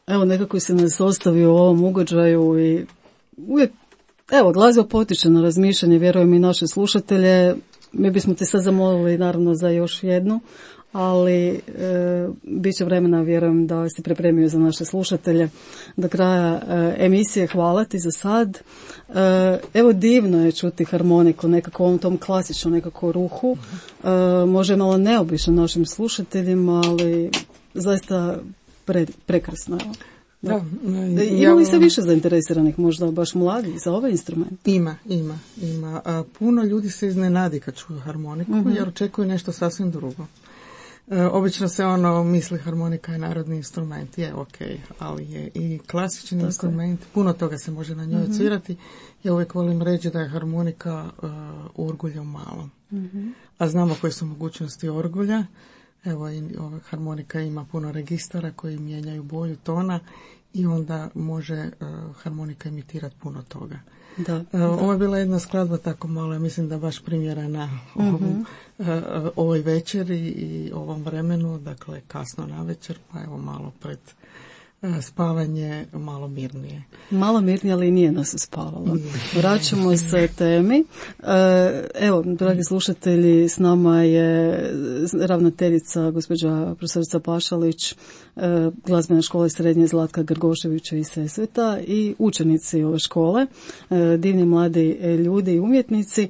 Evo, nekako se nas ostavio u ovom ugođaju i uvijek, evo, glazba potiče na razmišljanje, vjerujem i naše slušatelje. Mi bismo te sad zamolili naravno za još jednu, ali e, bit će vremena, vjerujem, da si pripremio za naše slušatelje do kraja e, emisije. Hvala ti za sad. E, evo, divno je čuti harmoniku nekako u ovom tom klasičnom nekako ruhu. E, može malo neobično našim slušateljima, ali zaista pre, prekrasno. Da. Da, ima li se više zainteresiranih, možda baš mladih, za ovaj instrument? Ima, ima, ima. A, puno ljudi se iznenadi kad čuju harmoniku, uh-huh. jer očekuju nešto sasvim drugo. E, obično se ono misli harmonika je narodni instrument, je ok, ali je i klasični Tako instrument, je. Puno toga se može na njoj uh-huh. odsvirati. Ja uvijek volim reći da je harmonika uh, orguljem malo. Uh-huh. A znamo koje su mogućnosti orgulja. Evo, i ova harmonika ima puno registara koji mijenjaju boju tona i onda može uh, harmonika imitirati puno toga. Da, uh, da. Ovo je bila jedna skladba tako malo, ja mislim da baš primjerena uh-huh. ovom, uh, ovoj večeri i ovom vremenu, dakle kasno na večer, pa evo malo pred uh, spavanje, malo mirnije. Malo mirnije, ali nije nas uspavalo. Vraćamo se temi. Evo, dragi slušatelji, s nama je ravnateljica gospođa profesorica Pašalić, glazbene škole srednje Zlatka Grgoševića iz Sesveta i učenici ove škole, divni mladi ljudi i umjetnici.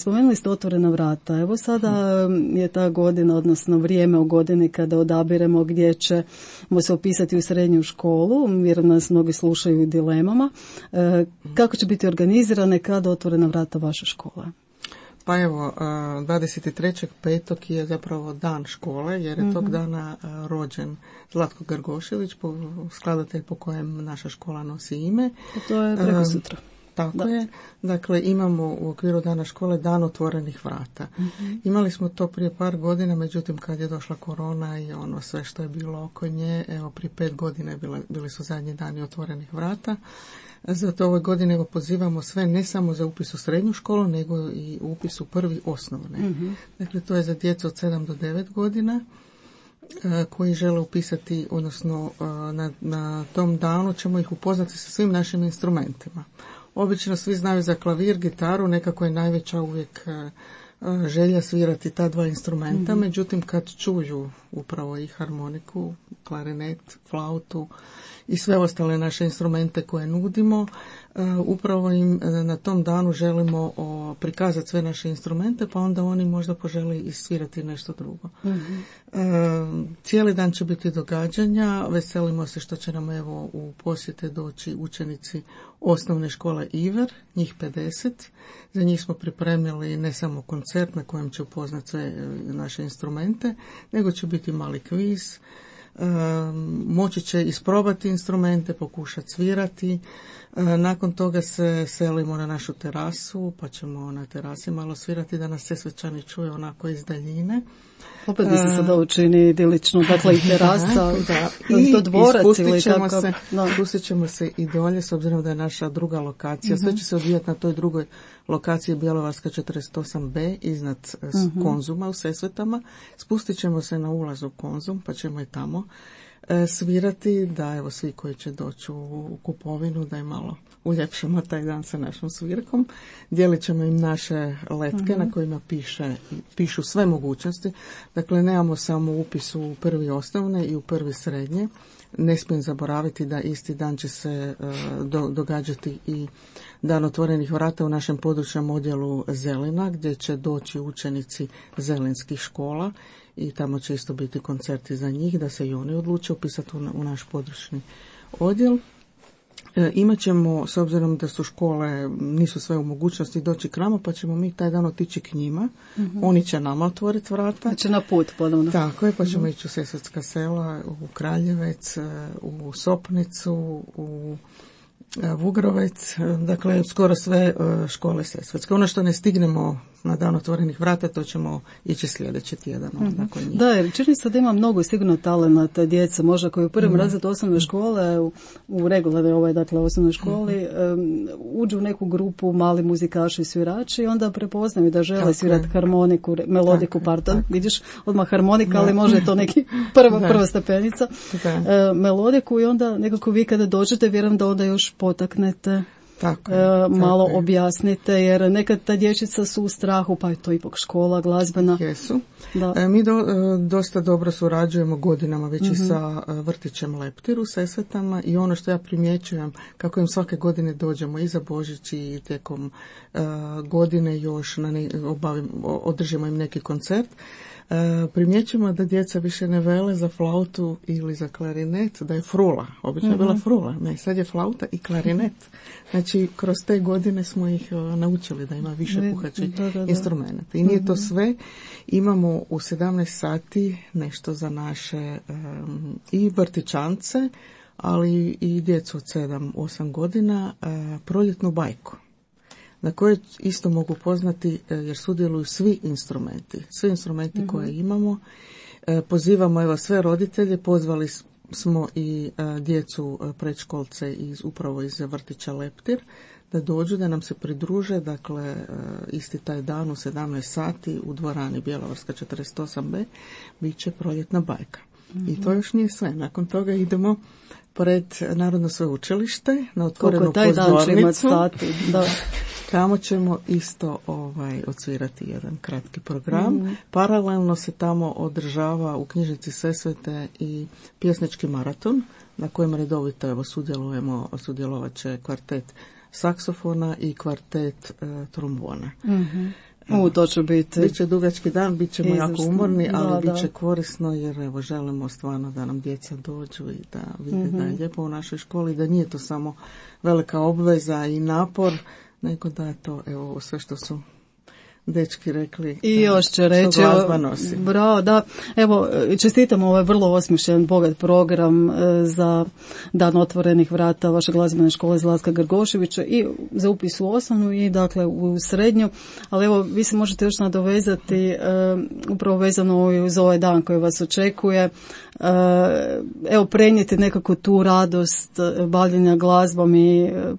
Spomenuli ste otvorena vrata. Evo sada je ta godina, odnosno vrijeme u godini kada odabiremo gdje ćemo se upisati u srednju školu, jer nas mnogi slušaju u dilemama. Kako će biti organizirane, kada otvorena vrata vaše škole? Pa evo, dvadeset trećeg petog je zapravo dan škole, jer je mm-hmm. tog dana rođen Zlatko Grgošević, skladatelj po kojem naša škola nosi ime. To je preko sutra. Tako da. je. Dakle, imamo u okviru dana škole dan otvorenih vrata. Mm-hmm. Imali smo to prije par godina, međutim kad je došla korona i ono sve što je bilo oko nje, evo prije pet godina bile, bili su zadnji dani otvorenih vrata. Zato ove godine evo pozivamo sve ne samo za upis u srednju školu, nego i upis u prvi osnovne. Mm-hmm. Dakle, to je za djecu od sedam do devet godina koji žele upisati, odnosno na, na tom danu ćemo ih upoznati sa svim našim instrumentima. Obično svi znaju za klavir, gitaru, nekako je najveća uvijek želja svirati ta dva instrumenta, mm-hmm. međutim kad čuju upravo i harmoniku, klarinet, flautu i sve ostale naše instrumente koje nudimo, uh, upravo im uh, na tom danu želimo uh, prikazati sve naše instrumente, pa onda oni možda požele isvirati nešto drugo. Mm-hmm. Uh, cijeli dan će biti događanja, veselimo se što će nam evo u posjete doći učenici osnovne škole Iver, njih pedeset. Za njih smo pripremili ne samo koncert na kojem će upoznati sve naše instrumente, nego će biti mali kviz. Um, moći će isprobati instrumente, pokušati svirati. Um, nakon toga se selimo na našu terasu, pa ćemo na terasi malo svirati da nas Sesvečani čuje onako iz daljine. Opet mi se sada učini idilično, dakle i terasa, da, i to dvorac ili ćemo tako. Se, no. Spustit ćemo se i dolje, s obzirom da je naša druga lokacija. Uh-huh. Sve će se odvijati na toj drugoj lokaciji Bjelovarska četrdeset osam be iznad uh-huh. Konzuma u Sesvetama. Spustit ćemo se na ulaz u Konzum, pa ćemo i tamo e, svirati, da evo svi koji će doći u, u kupovinu, da je malo uljepšamo taj dan sa našom svirkom. Dijelit ćemo im naše letke uh-huh. na kojima piše, pišu sve mogućnosti. Dakle, nemamo samo upis u prvi osnovne i u prvi srednje. Ne smijem zaboraviti da isti dan će se uh, do, događati i dan otvorenih vrata u našem područnom odjelu Zelina, gdje će doći učenici zelinskih škola i tamo će isto biti koncerti za njih, da se i oni odluče upisati u, u naš područni odjel. E, imat ćemo, s obzirom da su škole, nisu sve u mogućnosti doći k nama, pa ćemo mi taj dan otići k njima. Mm-hmm. Oni će nama otvoriti vrata. Znači na put ponovno. Tako je, pa ćemo mm-hmm. ići u Sesvetska sela, u Kraljevec, u Sopnicu, u Vugrovec, dakle skoro sve škole Sesvetske. Ono što ne stignemo na dan otvorenih vrata, to ćemo ići sljedeći tjedan. Mm-hmm. Nakon njih. Da, jer čini se da ima mnogo sigurno talenata djeca, možda koji u prvom mm-hmm. razredu osnovne škole, u, u regularnoj ovaj, dakle, osnovnoj školi, mm-hmm. um, uđu u neku grupu mali muzikaši i svirači i onda prepoznaju da žele tako svirati harmoniku, melodiku, tako, pardon, tako. Vidiš, odmah harmonika, da. Ali može to neki prva, prva stepenica, uh, melodiku i onda nekako vi kada dođete, vjerujem da onda još potaknete. Tako, e, malo tako objasnite, jer nekad ta dječica su u strahu, pa je to ipak škola glazbena. Jesu. Da. E, mi do, e, dosta dobro surađujemo godinama već mm-hmm. i sa e, vrtićem Leptir u Sesvetama i ono što ja primjećujem, kako im svake godine dođemo i za Božić i tijekom e, godine još na ne, obavim, održimo im neki koncert. E, primjećujemo da djeca više ne vele za flautu ili za klarinet, da je frula. Obično je mm-hmm. bila frula, ne, sad je flauta i klarinet. Znači, kroz te godine smo ih uh, naučili da ima više puhačih instrumenta. I nije mm-hmm. to sve. Imamo u sedamnaest sati nešto za naše um, i vrtićance, ali i djecu od sedam osam godina, uh, proljetnu bajku, na koje isto mogu poznati jer sudjeluju svi instrumenti. Svi instrumenti mm-hmm. koje imamo. E, pozivamo evo sve roditelje, pozvali smo i e, djecu e, predškolce iz, upravo iz vrtića Leptir, da dođu, da nam se pridruže, dakle e, isti taj dan u sedamnaest sati u dvorani Bjelovarska četrdeset osam be bit će proljetna bajka. Mm-hmm. I to još nije sve. Nakon toga idemo pored Narodno sveučilište na otvorenu pozornicu. Da. Tamo ćemo isto ovaj, odsvirati jedan kratki program. Mm. Paralelno se tamo održava u knjižnici Sesvete i pjesnički maraton, na kojem redovito evo, sudjelujemo, sudjelovat će kvartet saksofona i kvartet e, trombona. Mm-hmm. U, to će biti. Biće dugački dan, bit ćemo jako umorni, ali da, bit će da. korisno jer evo želimo stvarno da nam djeca dođu i da vide mm-hmm. da je lijepo u našoj školi, da nije to samo velika obveza i napor, nego da je to evo sve što su dečki rekli. I još će reći, bravo, da, evo, čestitam ovaj vrlo osmišljen, bogat program e, za dan otvorenih vrata vaše glazbene škole Zlatka Grgoševića i za upis u osnovnu i dakle u srednju, ali evo, vi se možete još nadovezati e, upravo vezano uz ovaj dan koji vas očekuje, e, evo, prenijeti nekako tu radost bavljenja glazbom i e,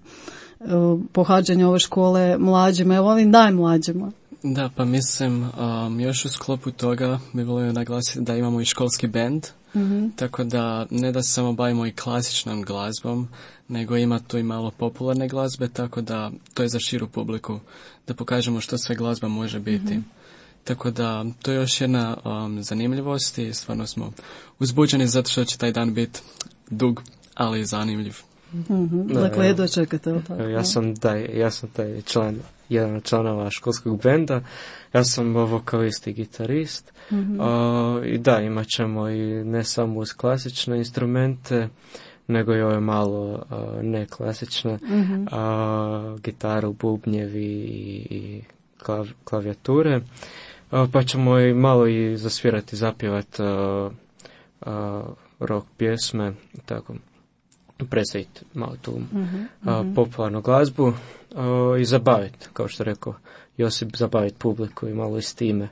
pohađanja ove škole mlađima, evo ovim najmlađima. Da, pa mislim, um, još u sklopu toga bi volio naglasiti da imamo i školski bend, mm-hmm. tako da ne da se samo bavimo i klasičnom glazbom, nego ima tu i malo popularne glazbe, tako da to je za širu publiku, da pokažemo što sve glazba može biti. Mm-hmm. Tako da to je još jedna um, zanimljivost i stvarno smo uzbuđeni zato što će taj dan biti dug, ali i zanimljiv. Mm-hmm. Dakle, jedva čekate. Ja sam taj, ja sam taj član, jedan od članova školskog benda. Ja sam vokalist i gitarist. Mm-hmm. Uh, I da, imat ćemo i ne samo uz klasične instrumente, nego i ove malo uh, neklasične, mm-hmm. uh, gitaru, bubnjevi i, i klav, klavijature. Uh, pa ćemo i malo i zasvirati, zapjevati uh, uh, rock pjesme, tako. Predstaviti malo tu uh-huh, uh-huh. Uh, popularnu glazbu uh, i zabaviti, kao što rekao Josip, zabaviti publiku i malo i s time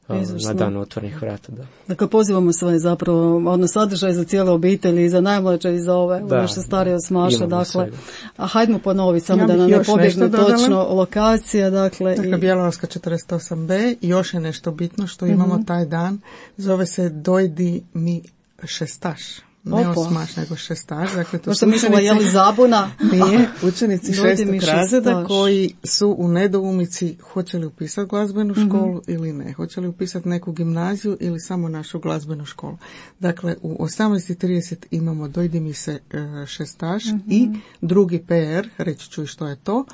uh, na dan otvorenih vrata. Da. Dakle, pozivamo sve zapravo, ono sadržaj za cijele obitelji i za najmlađe i za ove, da, nešto starije od Smaša, dakle, a hajdemo ponoviti, samo ja da nam ne pobjegne točno lokacija, dakle. Dakle, i... Bjelovarska četrdeset osam be, još je nešto bitno što imamo uh-huh. taj dan, zove se Dojdi mi šestaš. Ne osmaš, nego šestaš. Dakle, to sam mislila, je li zabuna? Nije, učenici šestog razreda koji su u nedoumici hoće li upisati glazbenu školu mm-hmm. ili ne. Hoće li upisati neku gimnaziju ili samo našu glazbenu školu. Dakle, u osamnaest i trideset imamo dojdi mi se šestaš mm-hmm. i drugi P R, reći ću i što je to.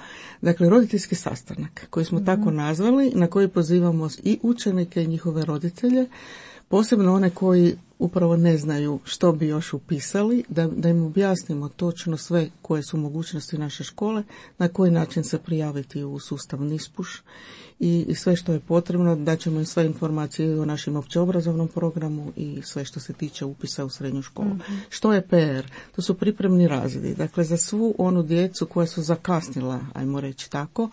Dakle, roditeljski sastanak koji smo mm-hmm. tako nazvali, na koji pozivamo i učenike i njihove roditelje, posebno one koji upravo ne znaju što bi još upisali, da, da im objasnimo točno sve koje su mogućnosti naše škole, na koji način se prijaviti u sustav NISPUŠ i, i sve što je potrebno, da ćemo im sve informacije o našem općeobrazovnom programu i sve što se tiče upisa u srednju školu. Mm-hmm. Što je P R? To su pripremni razredi. Dakle, za svu onu djecu koja su zakasnila, ajmo reći tako,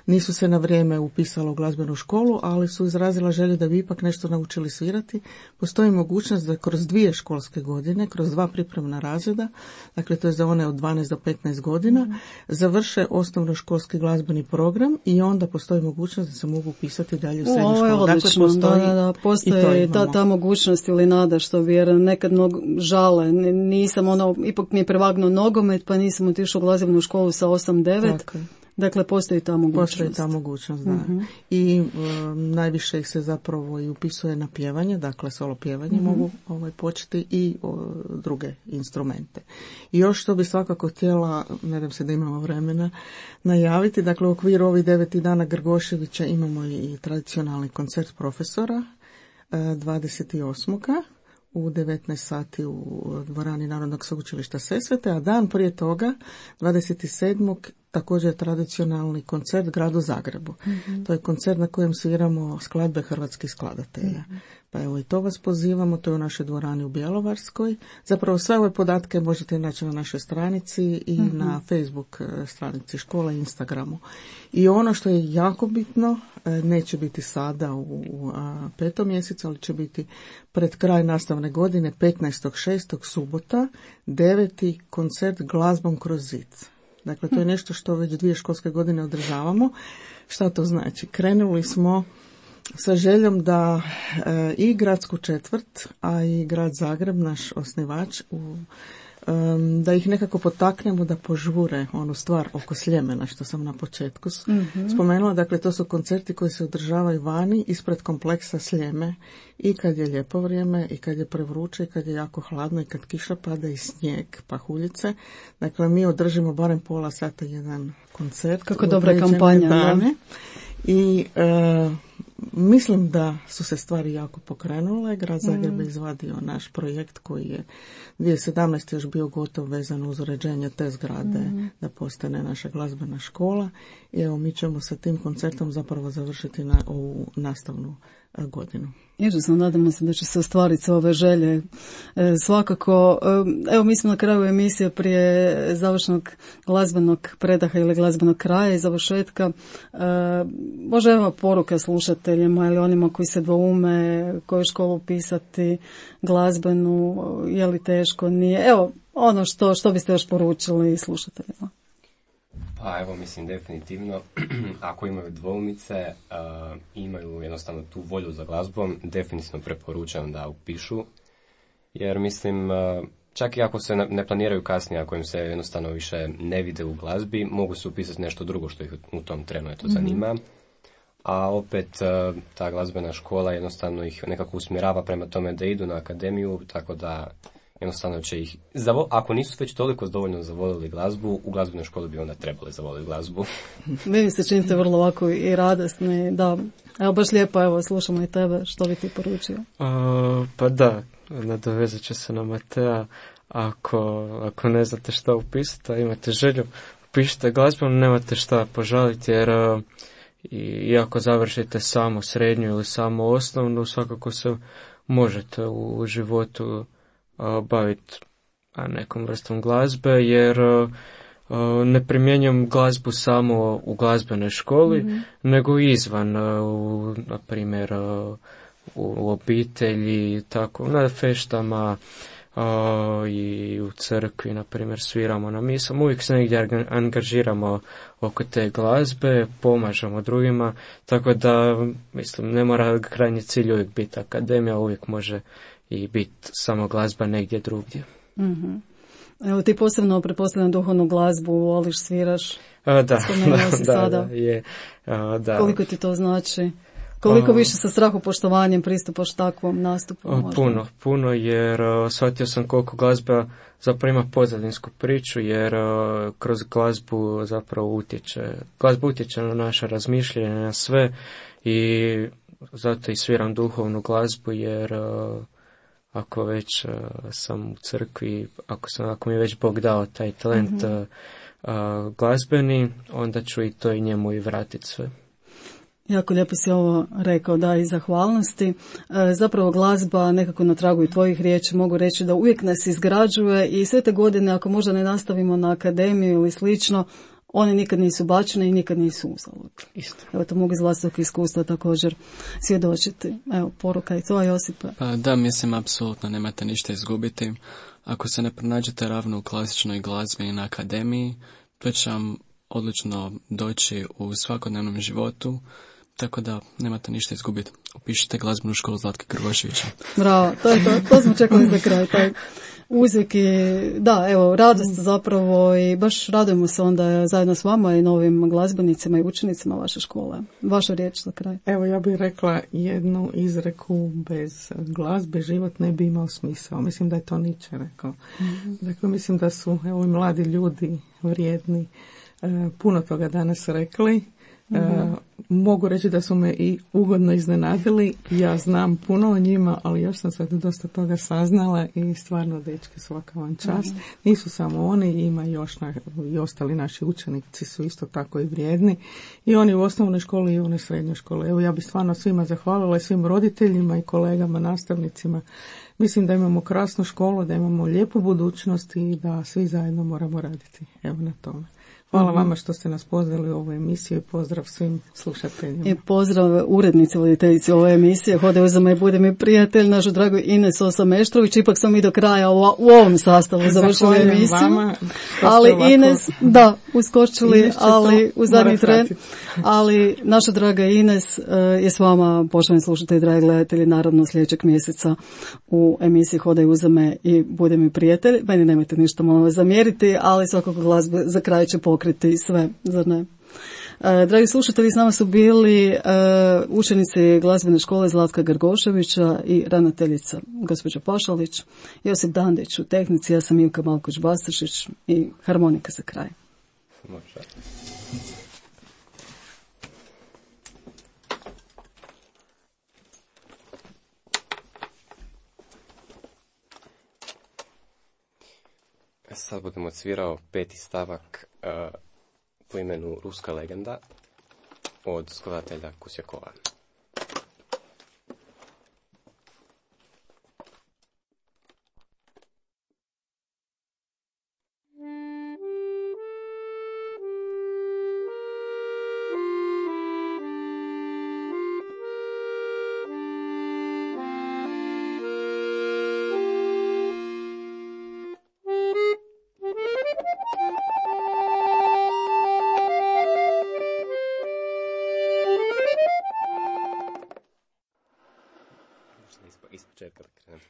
nisu se na vrijeme upisala u glazbenu školu, ali su izrazila želju da bi ipak nešto naučili svirati, postoji mogućnost da kroz dvije školske godine, kroz dva pripremna razreda, dakle to je za one od dvanaest do petnaest godina, mm. završe osnovnoškolski glazbeni program i onda postoji mogućnost da se mogu upisati dalje u srednju školu. Ovo je odlično, dakle, postoji, da, da, postoji ta, ta mogućnost ili nada što bi, jer nekad mnogo žale, nisam ono, ipak mi je prevagnuo nogomet, pa nisam otišao u glazbenu školu sa osam devet. Dakle. Dakle, postoji ta mogućnost. Postoji ta mogućnost, da. Uh-huh. I um, najviše ih se zapravo i upisuje na pjevanje, dakle solo pjevanje uh-huh. mogu ovaj, početi i o, druge instrumente. I još što bi svakako htjela, nadam se da imamo vremena, najaviti, dakle u okviru ovih deveti dana Grgoševića imamo i tradicionalni koncert profesora dvadeset osmog u devetnaest sati u dvorani Narodnog sveučilišta Sesvete, a dan prije toga, dvadeset sedmog također je tradicionalni koncert gradu Zagrebu. Mm-hmm. To je koncert na kojem sviramo skladbe hrvatskih skladatelja. Mm-hmm. Pa evo i to vas pozivamo, to je u našoj dvorani u Bjelovarskoj. Zapravo sve ove podatke možete naći na našoj stranici i mm-hmm. na Facebook stranici škole i Instagramu. I ono što je jako bitno, neće biti sada u, u a, petom mjesecu, ali će biti pred kraj nastavne godine, petnaestog šestog subota, deveti koncert Glazbom kroz zid. Dakle, to je nešto što već dvije školske godine održavamo. Šta to znači? Krenuli smo sa željom da e, i gradsku četvrt, a i grad Zagreb, naš osnivač, u, e, da ih nekako potaknemo da požure onu stvar oko Sljemena, što sam na početku mm-hmm. spomenula. Dakle, to su koncerti koji se održavaju vani ispred kompleksa Sljeme i kad je lijepo vrijeme, i kad je prevruće, i kad je jako hladno, i kad kiša pada i snijeg, pahuljice. Dakle, mi održimo barem pola sata jedan koncert. Kako dobra kampanja. Dane. I e, mislim da su se stvari jako pokrenule. Grad Zagreb mm. je izvadio naš projekt koji je dvije tisuće sedamnaeste još bio gotov vezano uz uređenje te zgrade mm. da postane naša glazbena škola. I evo, mi ćemo sa tim koncertom zapravo završiti na ovu nastavnu godinu. Izvrsno, nadamo se da će se ostvariti ove želje. E, svakako, e, evo mi smo na kraju emisije prije završnog glazbenog predaha ili glazbenog kraja i završetka. E, može evo poruka slušateljima ili onima koji se dvoume, koju školu upisati, glazbenu, je li teško, nije. Evo, ono što, što biste još poručili slušateljima. Pa evo, mislim definitivno, ako imaju dvoumice, uh, imaju jednostavno tu volju za glazbom, definitivno preporučam da upišu, jer mislim, uh, čak i ako se ne planiraju kasnije, ako im se jednostavno više ne vide u glazbi, mogu se upisati nešto drugo što ih u tom trenu eto zanima, mm-hmm. a opet uh, ta glazbena škola jednostavno ih nekako usmjerava prema tome da idu na akademiju, tako da jednostavno će ih, zavo, ako nisu već toliko dovoljno zavolili glazbu, u glazbenoj školi bi onda trebali zavoliti glazbu. Vi mi se činite vrlo ovako i radosni, da. Evo baš lijepo, evo, slušamo i tebe, što bi ti poručio? Uh, pa da, nadovezat će se na Matea, ako, ako ne znate šta upisati, a imate želju, upišite glazbu, nemate šta požaliti, jer uh, i ako završite samo srednju ili samo osnovnu, svakako se možete u, u životu baviti nekom vrstom glazbe, jer uh, ne primjenjujem glazbu samo u glazbenoj školi, mm-hmm. nego izvan, uh, na primjer uh, u obitelji, tako, na feštama uh, i u crkvi, na primjer, sviramo na misama, uvijek se negdje angažiramo oko te glazbe, pomažemo drugima, tako da, mislim, ne mora krajnji cilj uvijek biti akademija, uvijek može i biti samo glazba negdje drugdje. Mm-hmm. Evo, ti posebno pretpostavljam duhovnu glazbu, voliš, sviraš, A, da, spomenuo da, si da, sada. da, je, a, da. Koliko ti to znači? Koliko A, više sa strahopoštovanjem pristupaš takvom nastupu? a, puno, puno, jer a, shvatio sam koliko glazba zapravo ima pozadinsku priču, jer a, kroz glazbu zapravo utječe, glazba utječe na naše razmišljanje, na sve, i zato i sviram duhovnu glazbu, jer a, ako već uh, sam u crkvi, ako, sam, ako mi je već Bog dao taj talent mm-hmm. uh, uh, glazbeni, onda ću i to i njemu i vratiti sve. Jako lijepo si ovo rekao, da, i zahvalnosti. E, zapravo glazba nekako na tragu i tvojih riječi mogu reći da uvijek nas izgrađuje i sve te godine, ako možda ne nastavimo na akademiju ili slično, one nikad nisu bačene i nikad nisu uzalud. Isto. Evo, to mogu iz vlastitog iskustva također svjedočiti. Evo, poruka i to, Josipa. Pa da, mislim, apsolutno nemate ništa izgubiti. Ako se ne pronađete ravno u klasičnoj glazbi i na akademiji, to će vam odlično doći u svakodnevnom životu, tako da nemate ništa izgubiti. Upišite glazbenu školu Zlatka Grgoševića. Bravo, to je to, to smo čekali za kraj, taj uzvik i da, evo, radost zapravo i baš radujemo se onda zajedno s vama i novim glazbenicima i učenicima vaše škole. Vaša riječ za kraj. Evo, ja bih rekla jednu izreku: bez glazbe život ne bi imao smisao. Mislim da je to Nietzsche rekao. Mm-hmm. Dakle, mislim da su evo i mladi ljudi vrijedni e, puno toga danas rekli. Mm-hmm. E, mogu reći da su me i ugodno iznenadili. Ja znam puno o njima, ali još sam sad dosta toga saznala i stvarno, dečki, svaka vam čast. Mm-hmm. Nisu samo oni, ima još na, i ostali naši učenici su isto tako i vrijedni. I oni u osnovnoj školi i oni u srednjoj školi. Evo, ja bih stvarno svima zahvalila i svim roditeljima i kolegama, nastavnicima. Mislim da imamo krasnu školu, da imamo lijepu budućnost i da svi zajedno moramo raditi. Evo na tome. Hvala mm-hmm. vama što ste nas pozvali u ovu emisiju i pozdrav svim slušateljima. I pozdrav urednici, voditeljici ove emisije Hodaj uzama i budi mi prijatelj, našu dragu Ines Osameštrović. Ipak smo mi do kraja u, u ovom sastavu završili emisiju. Vama, ali ovako... Ines, da, uskočili, ali u zadnji tren. Ali naša draga Ines uh, je s vama, poštovani slušatelji, dragi gledatelji, naravno sljedećeg mjeseca u emisiji Hodaj uzame i budi mi prijatelj. Meni nemojte ništa malo zamjeriti, ali svakako glazbe za kraj će pokriti sve, zar ne? E, dragi slušatelji, s nama su bili e, učenici glazbene škole Zlatka Grgoševića i ravnateljica gospođa Pašalić, Josip Dandić u tehnici, ja sam Ivka Malkoć-Bastršić i harmonika za kraj. Može. Sad budemo odsvirao peti stavak uh, po imenu Ruska legenda od skladatelja Kusjakova. Ispočetka da krenem.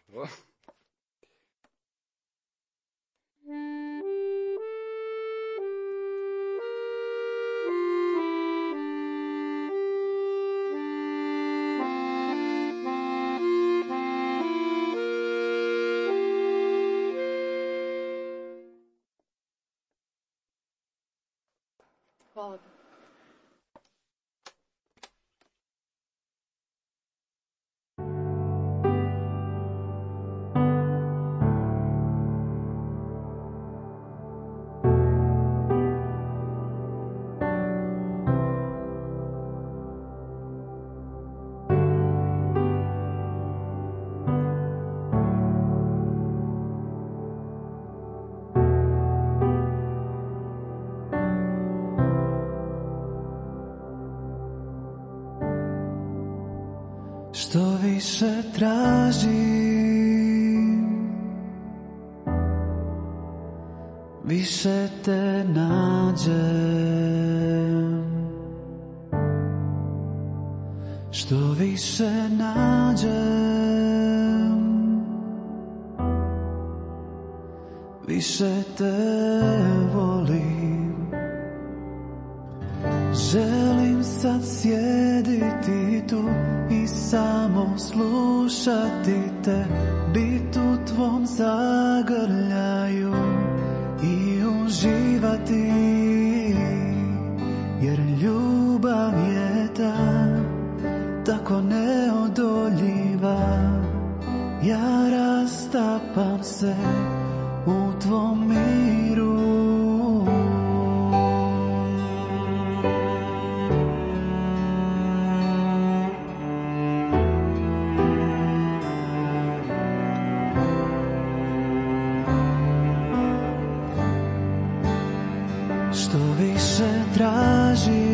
Hvala. Što više tražim, više te nađem. Što više nađem, više te volim. Želim sad sjediti tu i samo slušati te, bit u tvom zagrljaju i uživati, jer ljubav je ta, tako neodoljiva. Ja rastapam se u tvom miru. Što više tražim,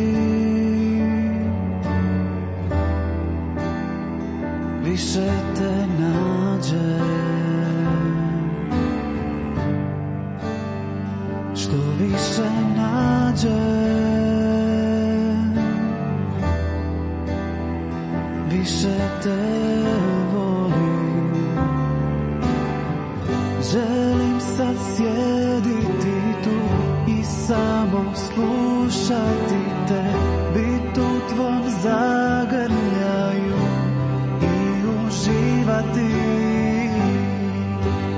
više te nađem. Što više nađem, više te volim. Želim sad sjediti tu i samo slušati te, bit u tvom zagrljaju i uživati,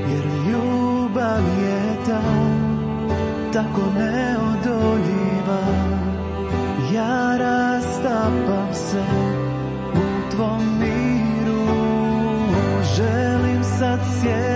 jer ljubav je ta, tako neodoljiva. Ja rastapam se u tvom miru. Želim sad sjediti